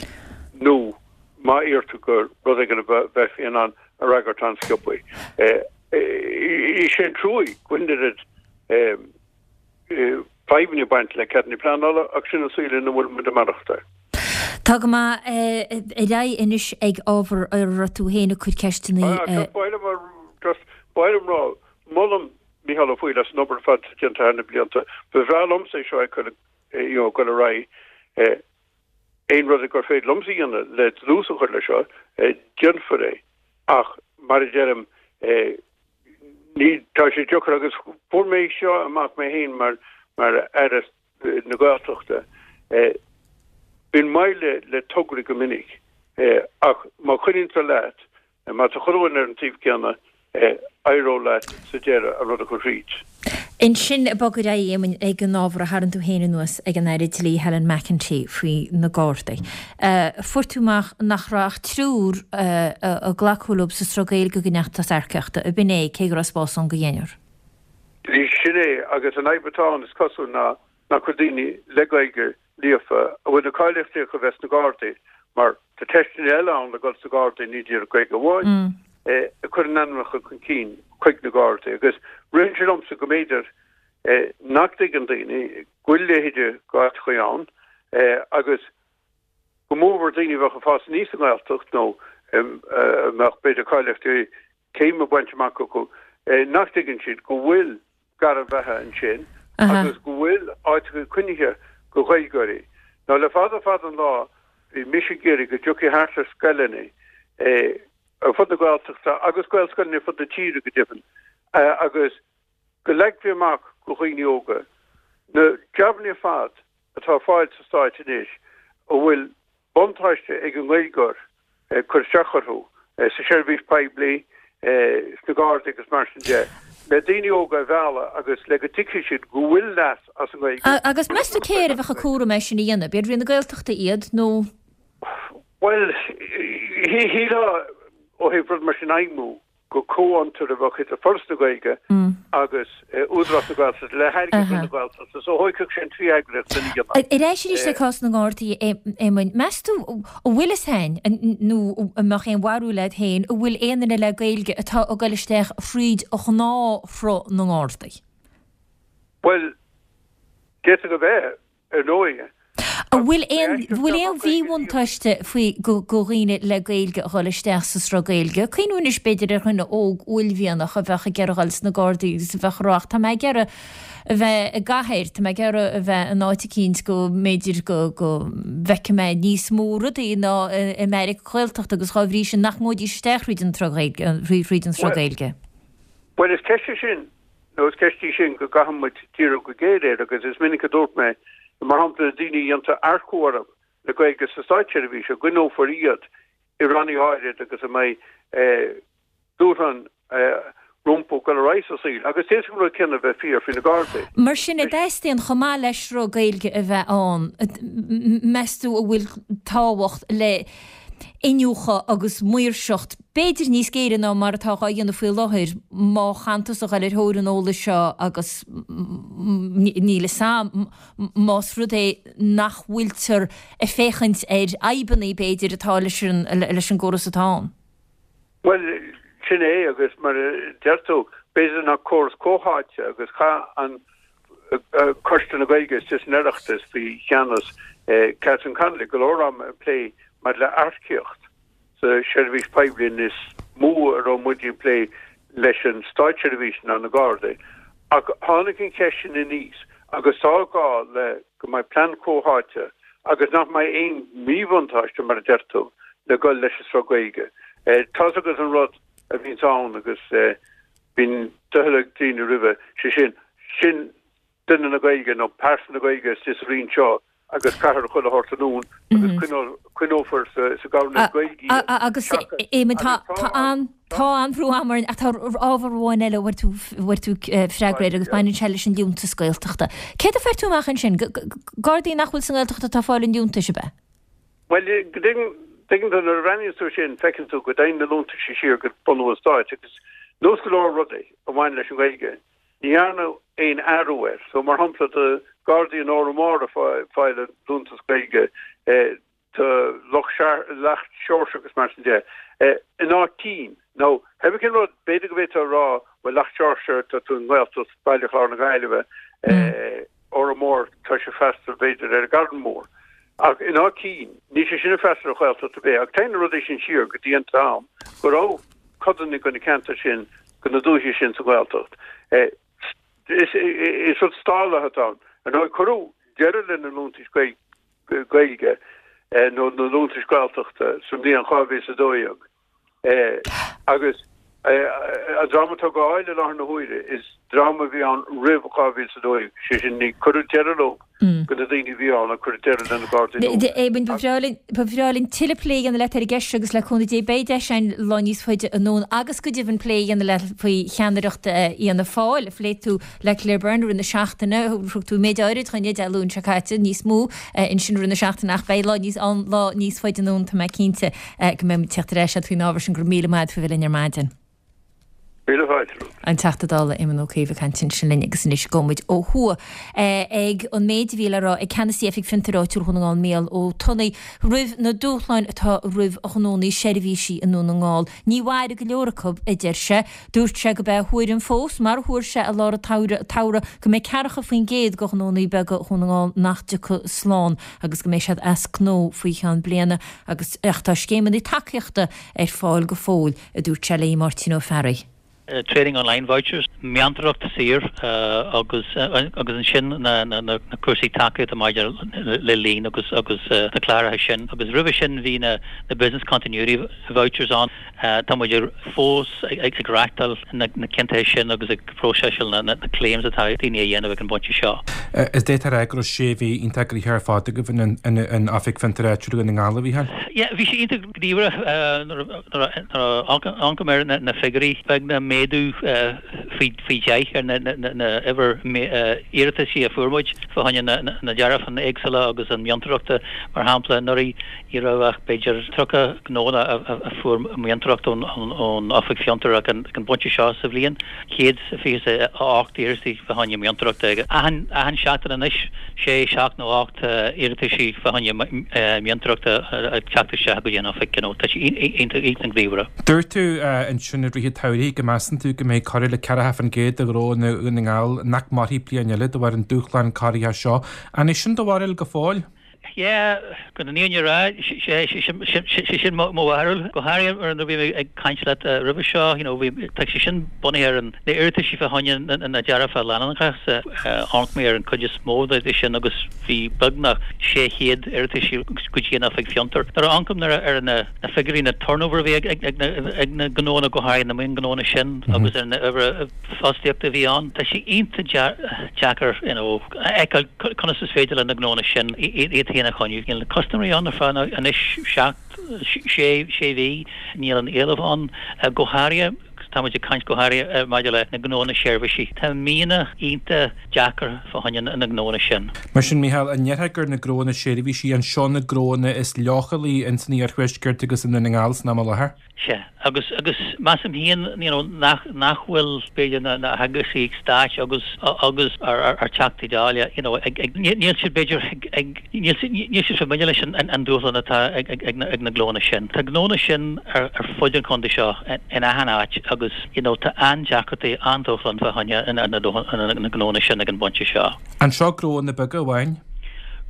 nó má iarrtar gur rud éigin a bheifí in ann a fhreagairt an-sciobtha. Is é an trua go bhfuil an oiread fadhbanna ag baint le ceadanna pleanála ach sin an saol ina bhfuil muid ag maireachtáil. Tá go maith. Ar aghaidh anois ag ábhar a raibh tú féin ag cur ceisteanna. Just ba mhaith liom rá, molaim Micheál Ó Foighil as an obair ar fad atá déanta thar na blianta. Ba bhreá liomsa é seo a fheiceáil ag dul ar aghaidh. Aon rud gur féidir liomsa a dhéanamh le dlús a chur leis seo, déanfar é. Ach mar a deirim, ní, tá sé deacair agus fuair mé seo amach mé féin mar mar Aire na Gaeltachta. Bíonn moill le le tograí go minic ach má choinníonn tú leat, má tá chuile dhuine ar an taobh céanna, éireoidh leat sa deireadh an rud a chur thríd. Ansin, bog ar aghaidh, a Éamoinn, ag an ábhar a tharraing tú féin anuas ag an Aire Dlí Helen McEntee faoi na Gardaí. Fuair tú amach nach raibh ach triúr a glacadh leo sa sruth Gaeilge den fheachtas earcaíochta, ab in é, cé go raibh spás ann do dheichniúr? Sin é, agus an fhadhb atá ann, is cosúil, ná nach bhfuil daoine le Gaeilge líofa a bhfuil na cáilíochtaí acu a bheith sna Gardaí, mar tá teisteanna eile ann le dul sna Gardaí, ní díreach Gaeilge amháin, ag cur a n-ainmneacha chun cinn chuig na Gardaí. Agus ritheann sé liomsa go mb'fhéidir nach dtuigeann daoine go bhfuil a leithéid d'áiteachaí ann agus go mórmhór daoine a bheadh ag fás aníos sa nGaeltacht nó a mbeadh b'fhéidir cáilíochtaí céime bainte amach acu, nach dtuigeann siad go bhfuil gairm bheatha ansin agus go bhfuil áiteacha coinnithe do Ghaeilgeoirí. Now le fada fada an lá bhí mise ag iarraidh go dtiocfaí thart ar scoileanna ar fud na Gaeltachta agus Gaelscoileanna ar fud na tíre go deimhin agus go leagfaí amach do dhaoine óga na jabanna ar fad atá ar fáil sa Stáit anois a bhfuil buntáiste ag an nGaeilgeoir cur isteach orthu sa seirbhís poiblí, sna Gardaí agus mar sin de, le daoine óga a mhealladh agus le go dtuigfidh siad go bhfuil leas as an nGaeilge. Agus meas tú cé air a bheadh an cúram é sin a dhéanamh? B'iad Roinn na Gaeltachta iad nó? Bhuel, shílfeá ó thaobh rud mar sin a fheidhmiú gur comhfhiontar a bheadh idir Foras na Gaeilge agus Údarás na Gaeltachta le hairgead Roinn na Gaeltachta, so thógfadh sé an trí eagraíocht lena dhéanamh. Ar ais arís le cás na nGardaí, a Éamoinn, meas tú an bhfuil fhios a'inn, nó an mbeadh aon bharúil a'd féin, an bhfuil aon duine le Gaeilge atá ag dul isteach thríd ghnáthshruth na nGardaí? Bhuel, d'fhéadfadh a bheith. ar ndóigh. An bhfuil aon bhfuil aon mhíbhuntáiste faoi go go dhaoine le Gaeilge a dhul isteach sa sruth Gaeilge? Cuimhniú anois b'fhéidir ar dhuine óg uaillmhianach a bheadh ag iarraidh dhul sna Gardaí agus a bheadh ag rá ach tá mé ag iarraidh a bheith i gcathair, tá mé ag iarraidh a bheith in áit eicínt go mb'fhéidir go go bhfeicfidh mé níos mó rudaí ná i mbeairic Ghaeltachta agus dhá bhrí sin nach ngabhfaidís isteach thríd an tsruth Ghaeilge thríd an sruth Gaeilge. Bhuel is ceist é sin nó is ceist í sin go gcaithfidh muid díriú go géar air agus is minic a dúirt mé, mar shampla, na daoine a dhéantar earcú orthu le Gaeilge sa státseirbhís, go gcoinneofar iad i rannaí áirid agus a mbeidh dúshlán rompu dul ar aghaidh sa saol agus d'fhéadfadh an rud céanna a bheith fíor faoi na Gardaí. Mar sin, an dteastaíonn, chomh maith le sruth Gaeilge a bheith ann, meas tú an bhfuil tábhacht le iniúchadh agus maoirseacht, b'fhéidir níos géire ná mar atá dhá dhéanamh faoi láthair, má chan tusa a ghoil ar thóir an eolais seo agus níl fhios a'm más rud é nach bhfuiltear ag féachaint ar fhadhbanna, b'fhéidir, atá leis an leis an gcóras atá ann. Bhuel, sin é agus mar a deir tú, b'fhéidir nach córas comhtháite agus chaith an Coiste na Gaeilge istigh san Oireachtas faoi cheannas Catherine Connolly go leor ama ag plé maidir le earcaíocht sa seirbhís poiblí níos mó a raibh muid ag plé leis an státseirbhís ná na Gardaí. Ach tháinig an cheist sin aníos agus tá gá le go mbeidh plean comhtháite agus nach mbeidh aon mhíbhuntáiste, mar a deir tú, le dhul leis an sruth Gaeilge. Tá's agat an rud a bhíonns ann agus bíonn doicheall ag daoine roimhe, sé sin, sin duine na Gaeilge nó pearsa na Gaeilge istigh sa Roinn seo agus caithfear chuile shórt anonn agus coinneofar sa gCabhna Gaeilge iad. Agus Éamonn, tá an tá an-bhrú ama orainn ach tá ábhar amháin eile a bhfuair tú bhfuair tú freagra air agus baineann sé leis an liúntas Gaeltachta. Céard a fuair tú amach ansin? Gardaí nach bhfuil sa nGaeltacht atá ag fáil an liúntais, ab ea? Bhuel, tuigeann tú nuair a bhreathnaíonn tú sin feiceann tú go dtéann na liúntaisí siar go bunú an stáit agus nós go leor rudaí a bhain leis an Ghaeilge ní dhearnadh aon athrú air. So mar shampla do Gardaí in Órán Mór ag fáil an liúntas Gaeilge, do Loch Seoirse agus mar sin de, in Áth Cinn. Nó cibé cén rud, b'fhéidir go bhféadfá a rá, bhuel Loch Seoirse, tá tú i nGaeltacht Baile Chláir na Gaillimhe, Órán Mór, tá sé ag freastal b'fhéidir ar an gCarn Mór. Ach in Áth Cinn, níl sé sin ag freastal ar Ghaeltacht ar bith. Ach téann na rudaí sin siar go dtí an t-am go raibh codanna de na ceantair sin, de na dúichí sin sa Ghaeltacht. Is rud stálach atá ann. Ar ndóigh, cuireadh deireadh le na liúntais Gaeilge nó na liúntais Gaeltachta sa mbliain dhá mhíle is a dó dhéag agus an dream atá á bhfáil i láthair na huaire is dream a bhí ann roimh dhá mhíle is a dó dhéag, sé sin ní cuireadh deireadh leo do na daoine a bhí ann ach cuireadh deireadh le na Gardaí nua. Éamonn, ba bhreá linn, ba bhreá linn tuilleadh plé a dhéanamh leat ar an gceist seo agus le cúnamh Dé beidh deis againn lá níos faide anonn agus go deimhin plé a dhéanamh leat faoi cheannaireacht Fhianna Fáil a phléigh tú le Claire Byrne i rith na seachtaine. Thug tú méid áirid chugainn Dé Luain seo caite, níos mó ansin i rith na seachtaine ach beidh lá níos ann lá níos faide anonn tá mé cinnte go mbeidh muid ag teacht ar ais leat faoin ábhar sin. Go raibh míle maith agat faoi bheith linn ar maidin. Míle fáilte romhat. An Teachta Dála Éamon Ó Cuív ag caint ansin linn agus anois gabhfaidh muid ó thuaidh ag an méid a bhí le rá ag Ceannasaí Oifig Fiontair Áitiúil Dhún na nGall Mícheál Ó Tonnaigh roimh na dúshláin atá roimh ghnónna seirbhísí i nDún na nGall. Ní mhairfidh go leor acu, a deir sé. Dúirt sé gurb é a thuairim fós, mar a thuar sé i lár an tsamhraidh, go mbeidh ceathracha faoin gcéad de ghnónna beaga Dhún na nGall nach dtiocfaidh slán agus go mbeidh siad as gnó faoi cheann bliana agus ach tá scéimeanna tacaíochta ar fáil go fóill, a dúirt sé le Máirtín Ó Fearraigh. Training Online Vouchers, meantóireacht saor agus agus ansin na na cúrsaí tacaíochta maidir le líon agus agus na cláracha sin. Agus roimhe sin bhí na na Business Continuity Vouchers ann. Tá muid fós ag reáchtáil na na ciontaithe sin agus ag próiseáil na na claims atá daoine a dhéanamh ag an bpointe seo. Is d'fhéadfá a rá go raibh sé mhí iontach gnoitheach ar fad agaibh in Oifig Fiontair Áitiúil Dhún na nGall, a Mhícheáil? Yeah, bhí sé iontach gníomhach nuair a amharcaim ar na figiúirí, beagnach méadú faoi dheich ar na uimhir iarrataisí a fuair muid fá choinne na dearbháin éagsúla agus an mheantóireachta. Mar shampla, anuraidh ní raibh ach b'fhéidir tríocha gnónna a fuair meantóireacht ón Oifig Fiontair ach ag an bpointe seo sa bhliain, céad fiche a ocht iarrataí fá choinne meantóireachta. Achan seachtain anois, sé, seacht nó ocht iarrataisí fá choinne meantóireachta ag teacht isteach go dtí an oifig. Tá sé iontach gníomhach. Dúirt tú ansin i rith an tsamhraidh go measann tú go mbeidh corradh le ceathracha faoin gcéad de ghnónna Dhún na nGall nach mairfidh bliain eile de bharr an dúshlán corraitheach seo. An é sin do bharúil go fóill? Yeah, chun an fhírinne a rá, sé sin mo bharúil. Go háirithe nuair a bhí mé ag caint leat roimhe seo, you know, bhí, tá sé sin bunaithe ar na iarrataisí fá choinne na dearbháin leanúnacha. Amharc mé ar an chuid is mó de sin agus bhí beagnach sé chéad iarrataisí go dtí an Oifig Fiontair. Nuair a amharcaim ar na figiúirí, na turnover a bhí ag na gnónna, go háirithe na mionghnónna sin agus ar na uimhir fostaíochta a bhí ann, tá sé iontach deacair, you know, a fheiceáil conas is féidir le na gnónna sin iad féin a choinniú. Níl na custaiméirí ann ar feadh anois seacht, sé, sé mhí, níl an éileamh ann, go háirithe, tá muid ag caint go háirithe maidir le na gnónna seirbhísí. Tá míonna iontach deacair fá choinne na ngnónna sin. Mar sin, Mícheál, an ndéarfá gur na gnónna seirbhísí an seo na gnónna is leochailí ins an iarthuaisceart agus i nDún na nGall san am i láthair? Sea, agus, agus measaim féin, you know, nach, nach bhfuil, b'fhéidir, na, na heagraíochtaí stáit agus, agus ár, ár, ár Teachtaí Dála, you know, ag, ag, níl siad, b'fhéidir, ag, ag, níl siad, níl siad familiar leis an, an, an dúshlán atá ag, ag, ag na, ag na gnónna sin. Tá gnónna sin ar, ar fud an chontae seo, in achan áit agus, you know, tá an-deacrachtaí, an-dúshlán fá choinne na, na, na, na gnónna sin ag an bpointe seo. An seo gnónna beaga amháin?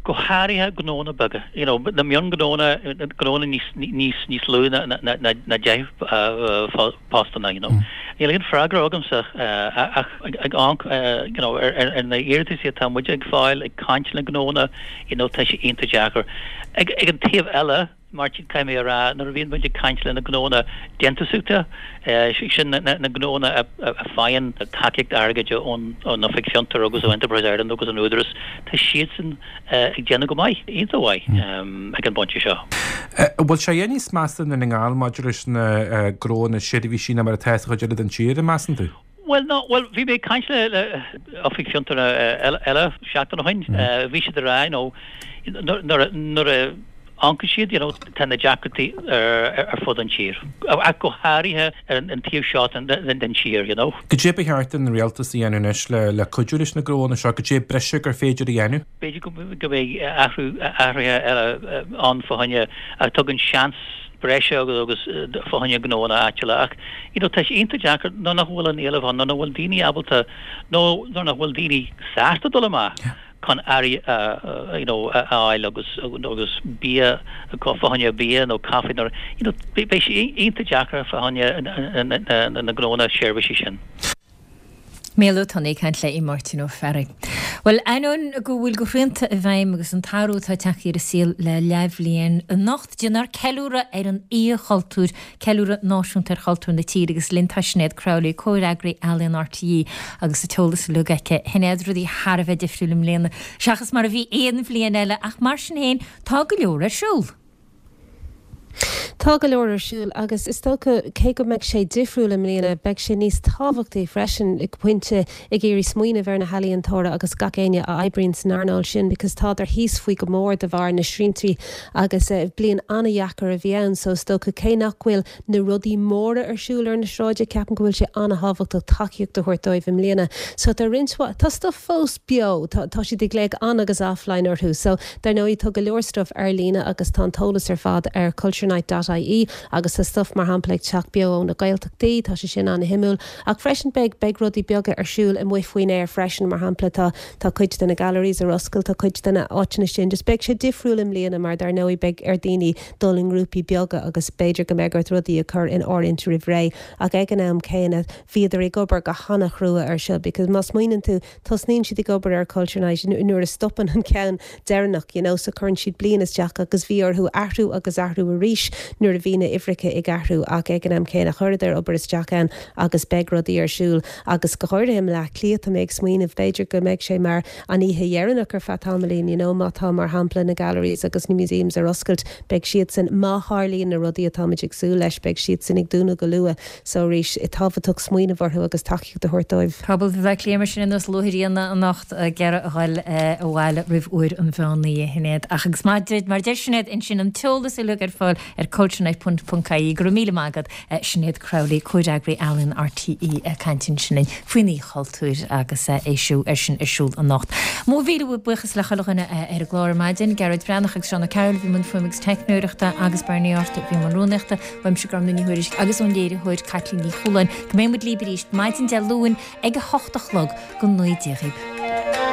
go háirithe gnónna beaga, you know, na mionghnónna, gnónna níos, níos, níos lú ná, ná, ná, ná deich postanna, you know. Níl aon freagra agamsa ach ag amharc you know ar na hiarrataisí atá muid ag fáil, ag caint le gnónna, you know tá sé iontach deacair. Ag an taobh eile, Máirtín, caithfidh mé a rá, nuair a bhíonn muid ag caint le na gnónna déantúsaíochta, sin na gnónna a faigheann tacaíocht airgid ón Oifig Fiontar agus ó Enterprise Ireland agus an Údarás, tá siadsan ag déanamh go maith, iontach mhaith ag an bpointe seo. An bhfuil sé níos measa i nDún na nGall maidir leis na gnónna seirbhísí ná mar atá sa chuid eile den tír, an measann tú? Bhuel, no, bhuel, bhí mé ag caint le le oifig fiontar eile seachtain ó shin, bhí siad ag rá, you know, nuair nuair a amharcann siad, you know, tá na deacrachtaí ar ar fud an tír, ach go háirithe ar an taobh seo den den tír, you know. Cad é ba cheart don rialtas a dhéanamh anois le le cuidiú leis na gnónna seo, cad é breise gur féidir a dhéanamh? B'fhéidir go go mbeidh athrú athruithe eile ann fá choinne a tugann seans breise agus agus fá choinne gnónna áitiúla ach you know tá sé iontach deacair nuair nach bhfuil an éileamh ann, nuair nach bhfuil daoine ábalta nó nuair nach bhfuil daoine sásta dul amach chun earraí a you know a fháil agus agus bia fá choinne bia nó caife nuair you know beidh sé iontach deacair fá choinne na gnónna seirbhísí sin. Mícheál Ó Tonnaigh ag caint le Máirtín Ó Fearraigh. Bhuel, ainneoin go bhfuil go shrianta i bhfeidhm agus an t-athrú atá tagtha ar an saol le leathbhliain, anocht déanfar ceiliúradh ar an Oíche Chultúir, ceiliúradh náisiúnta ar chultúr na tíre agus linn tá Sinéad Crowley, comhfhreagraí Ealaíon RTÉ agus an t-eolas uilig aici. Shinéad, rudaí thar a bheith difriúil i mbliana seachas mar a bhí aon bhliain eile ach mar sin féin tá go leor ar siúl. Tá go leor ar siúl agus is dócha cé go mbeidh sé difriúil i mbliana, beidh sé níos tábhachtaí freisin ag pointe ag iarraidh smaoineamh ar na healaíontóirí agus gach éinne a oibríonn san earnáil sin because tádar thíos faoi go mór de bharr na sriantaí agus bliain an-dheacair a bhí ann so is dócha cé nach bhfuil na rudaí móra ar siúl ar na sráide ceapaim go bhfuil sé an-thábhachtach tacaíocht a thabhairt dóibh i mbliana. So tá roinnt mhaith, tá stuff fós beo, tá tá siad ag glaoch on agus offline orthu so dar ndóigh tá go leor stuff ar líne agus tá an t-eolas ar fad ar culturenight dot ie agus tá stuff mar shampla ag teacht beo ó na Gaeltachtaí, tá sé sin an-shuimiúil. Ach freisin beidh beidh rudaí beaga ar siúl amuigh faoin aer freisin, mar shampla tá tá cuid de na galleries ar oscailt, tá cuid de na áiteanna sin, just beidh sé difriúil i mbliana mar dar ndóigh beidh ar daoine dul i ngrúpaí beaga agus b'fhéidir go mbeidh ort rudaí a chur in áirithint roimh ré. Ach ag an am céanna bhíodar ag obair go hana-chrua ar seo because má smaoineann tú tosnaíonn siad ag obair ar Culture Night nuair a stopann an ceann deireanach you know so cuireann siad bliain isteach agus bhí orthu athrú agus athrú arís nuair a bhí na huimhreacha ag athrú ach ag an am céanna chuireadar obair isteach ann agus beidh rudaí ar siúl agus go háirithe i mBleá Cliath tá mé ag smaoineamh b'fhéidir go mbeidh sé mar an oíche dheireanach ar feadh tamaillín you know má tá mar shampla na galleries agus na museums ar oscailt beidh siadsan má tharlaíonn na rudaí atáimid ag súil leis beidh siadsan ag dúnadh go luath so arís tábhachtach smaoineamh orthu agus tacaíocht a thabhairt dóibh. Pobal Bhaile Átha Cliath mar sin ar nós luathríona anocht ag iarraidh a dhul abhaile roimh uair an mheán oíche, a Shinéad. Ach agus mar a deir Sinéad ansin an t-eolas uilig ar fáil ar culturenight ponc ie. Go raibh míle maith agat, Sinéad Crowley, Comhfhreagraí Ealaíon RTÉ ag caint ansin linn faoin Oíche Chultúir agus é siú ar sin ar siúl anocht. Mo mhíle buíochas le chuile dhuine ar an gclár ar maidin, Gearóid Breathnach agus Seán Ó Cearúil a bhí i mbun fuaime agus teicneoireachta agus Bernie Arthur a bhí i mbun rúnaíochta. Uaimse Gormfhlaith Ní Thuairisg agus ón léiritheoir Caitlín Ní Chualáin go mbeidh muid libh arís maidin Dé Luain ag a hocht a chlog go naoi déag.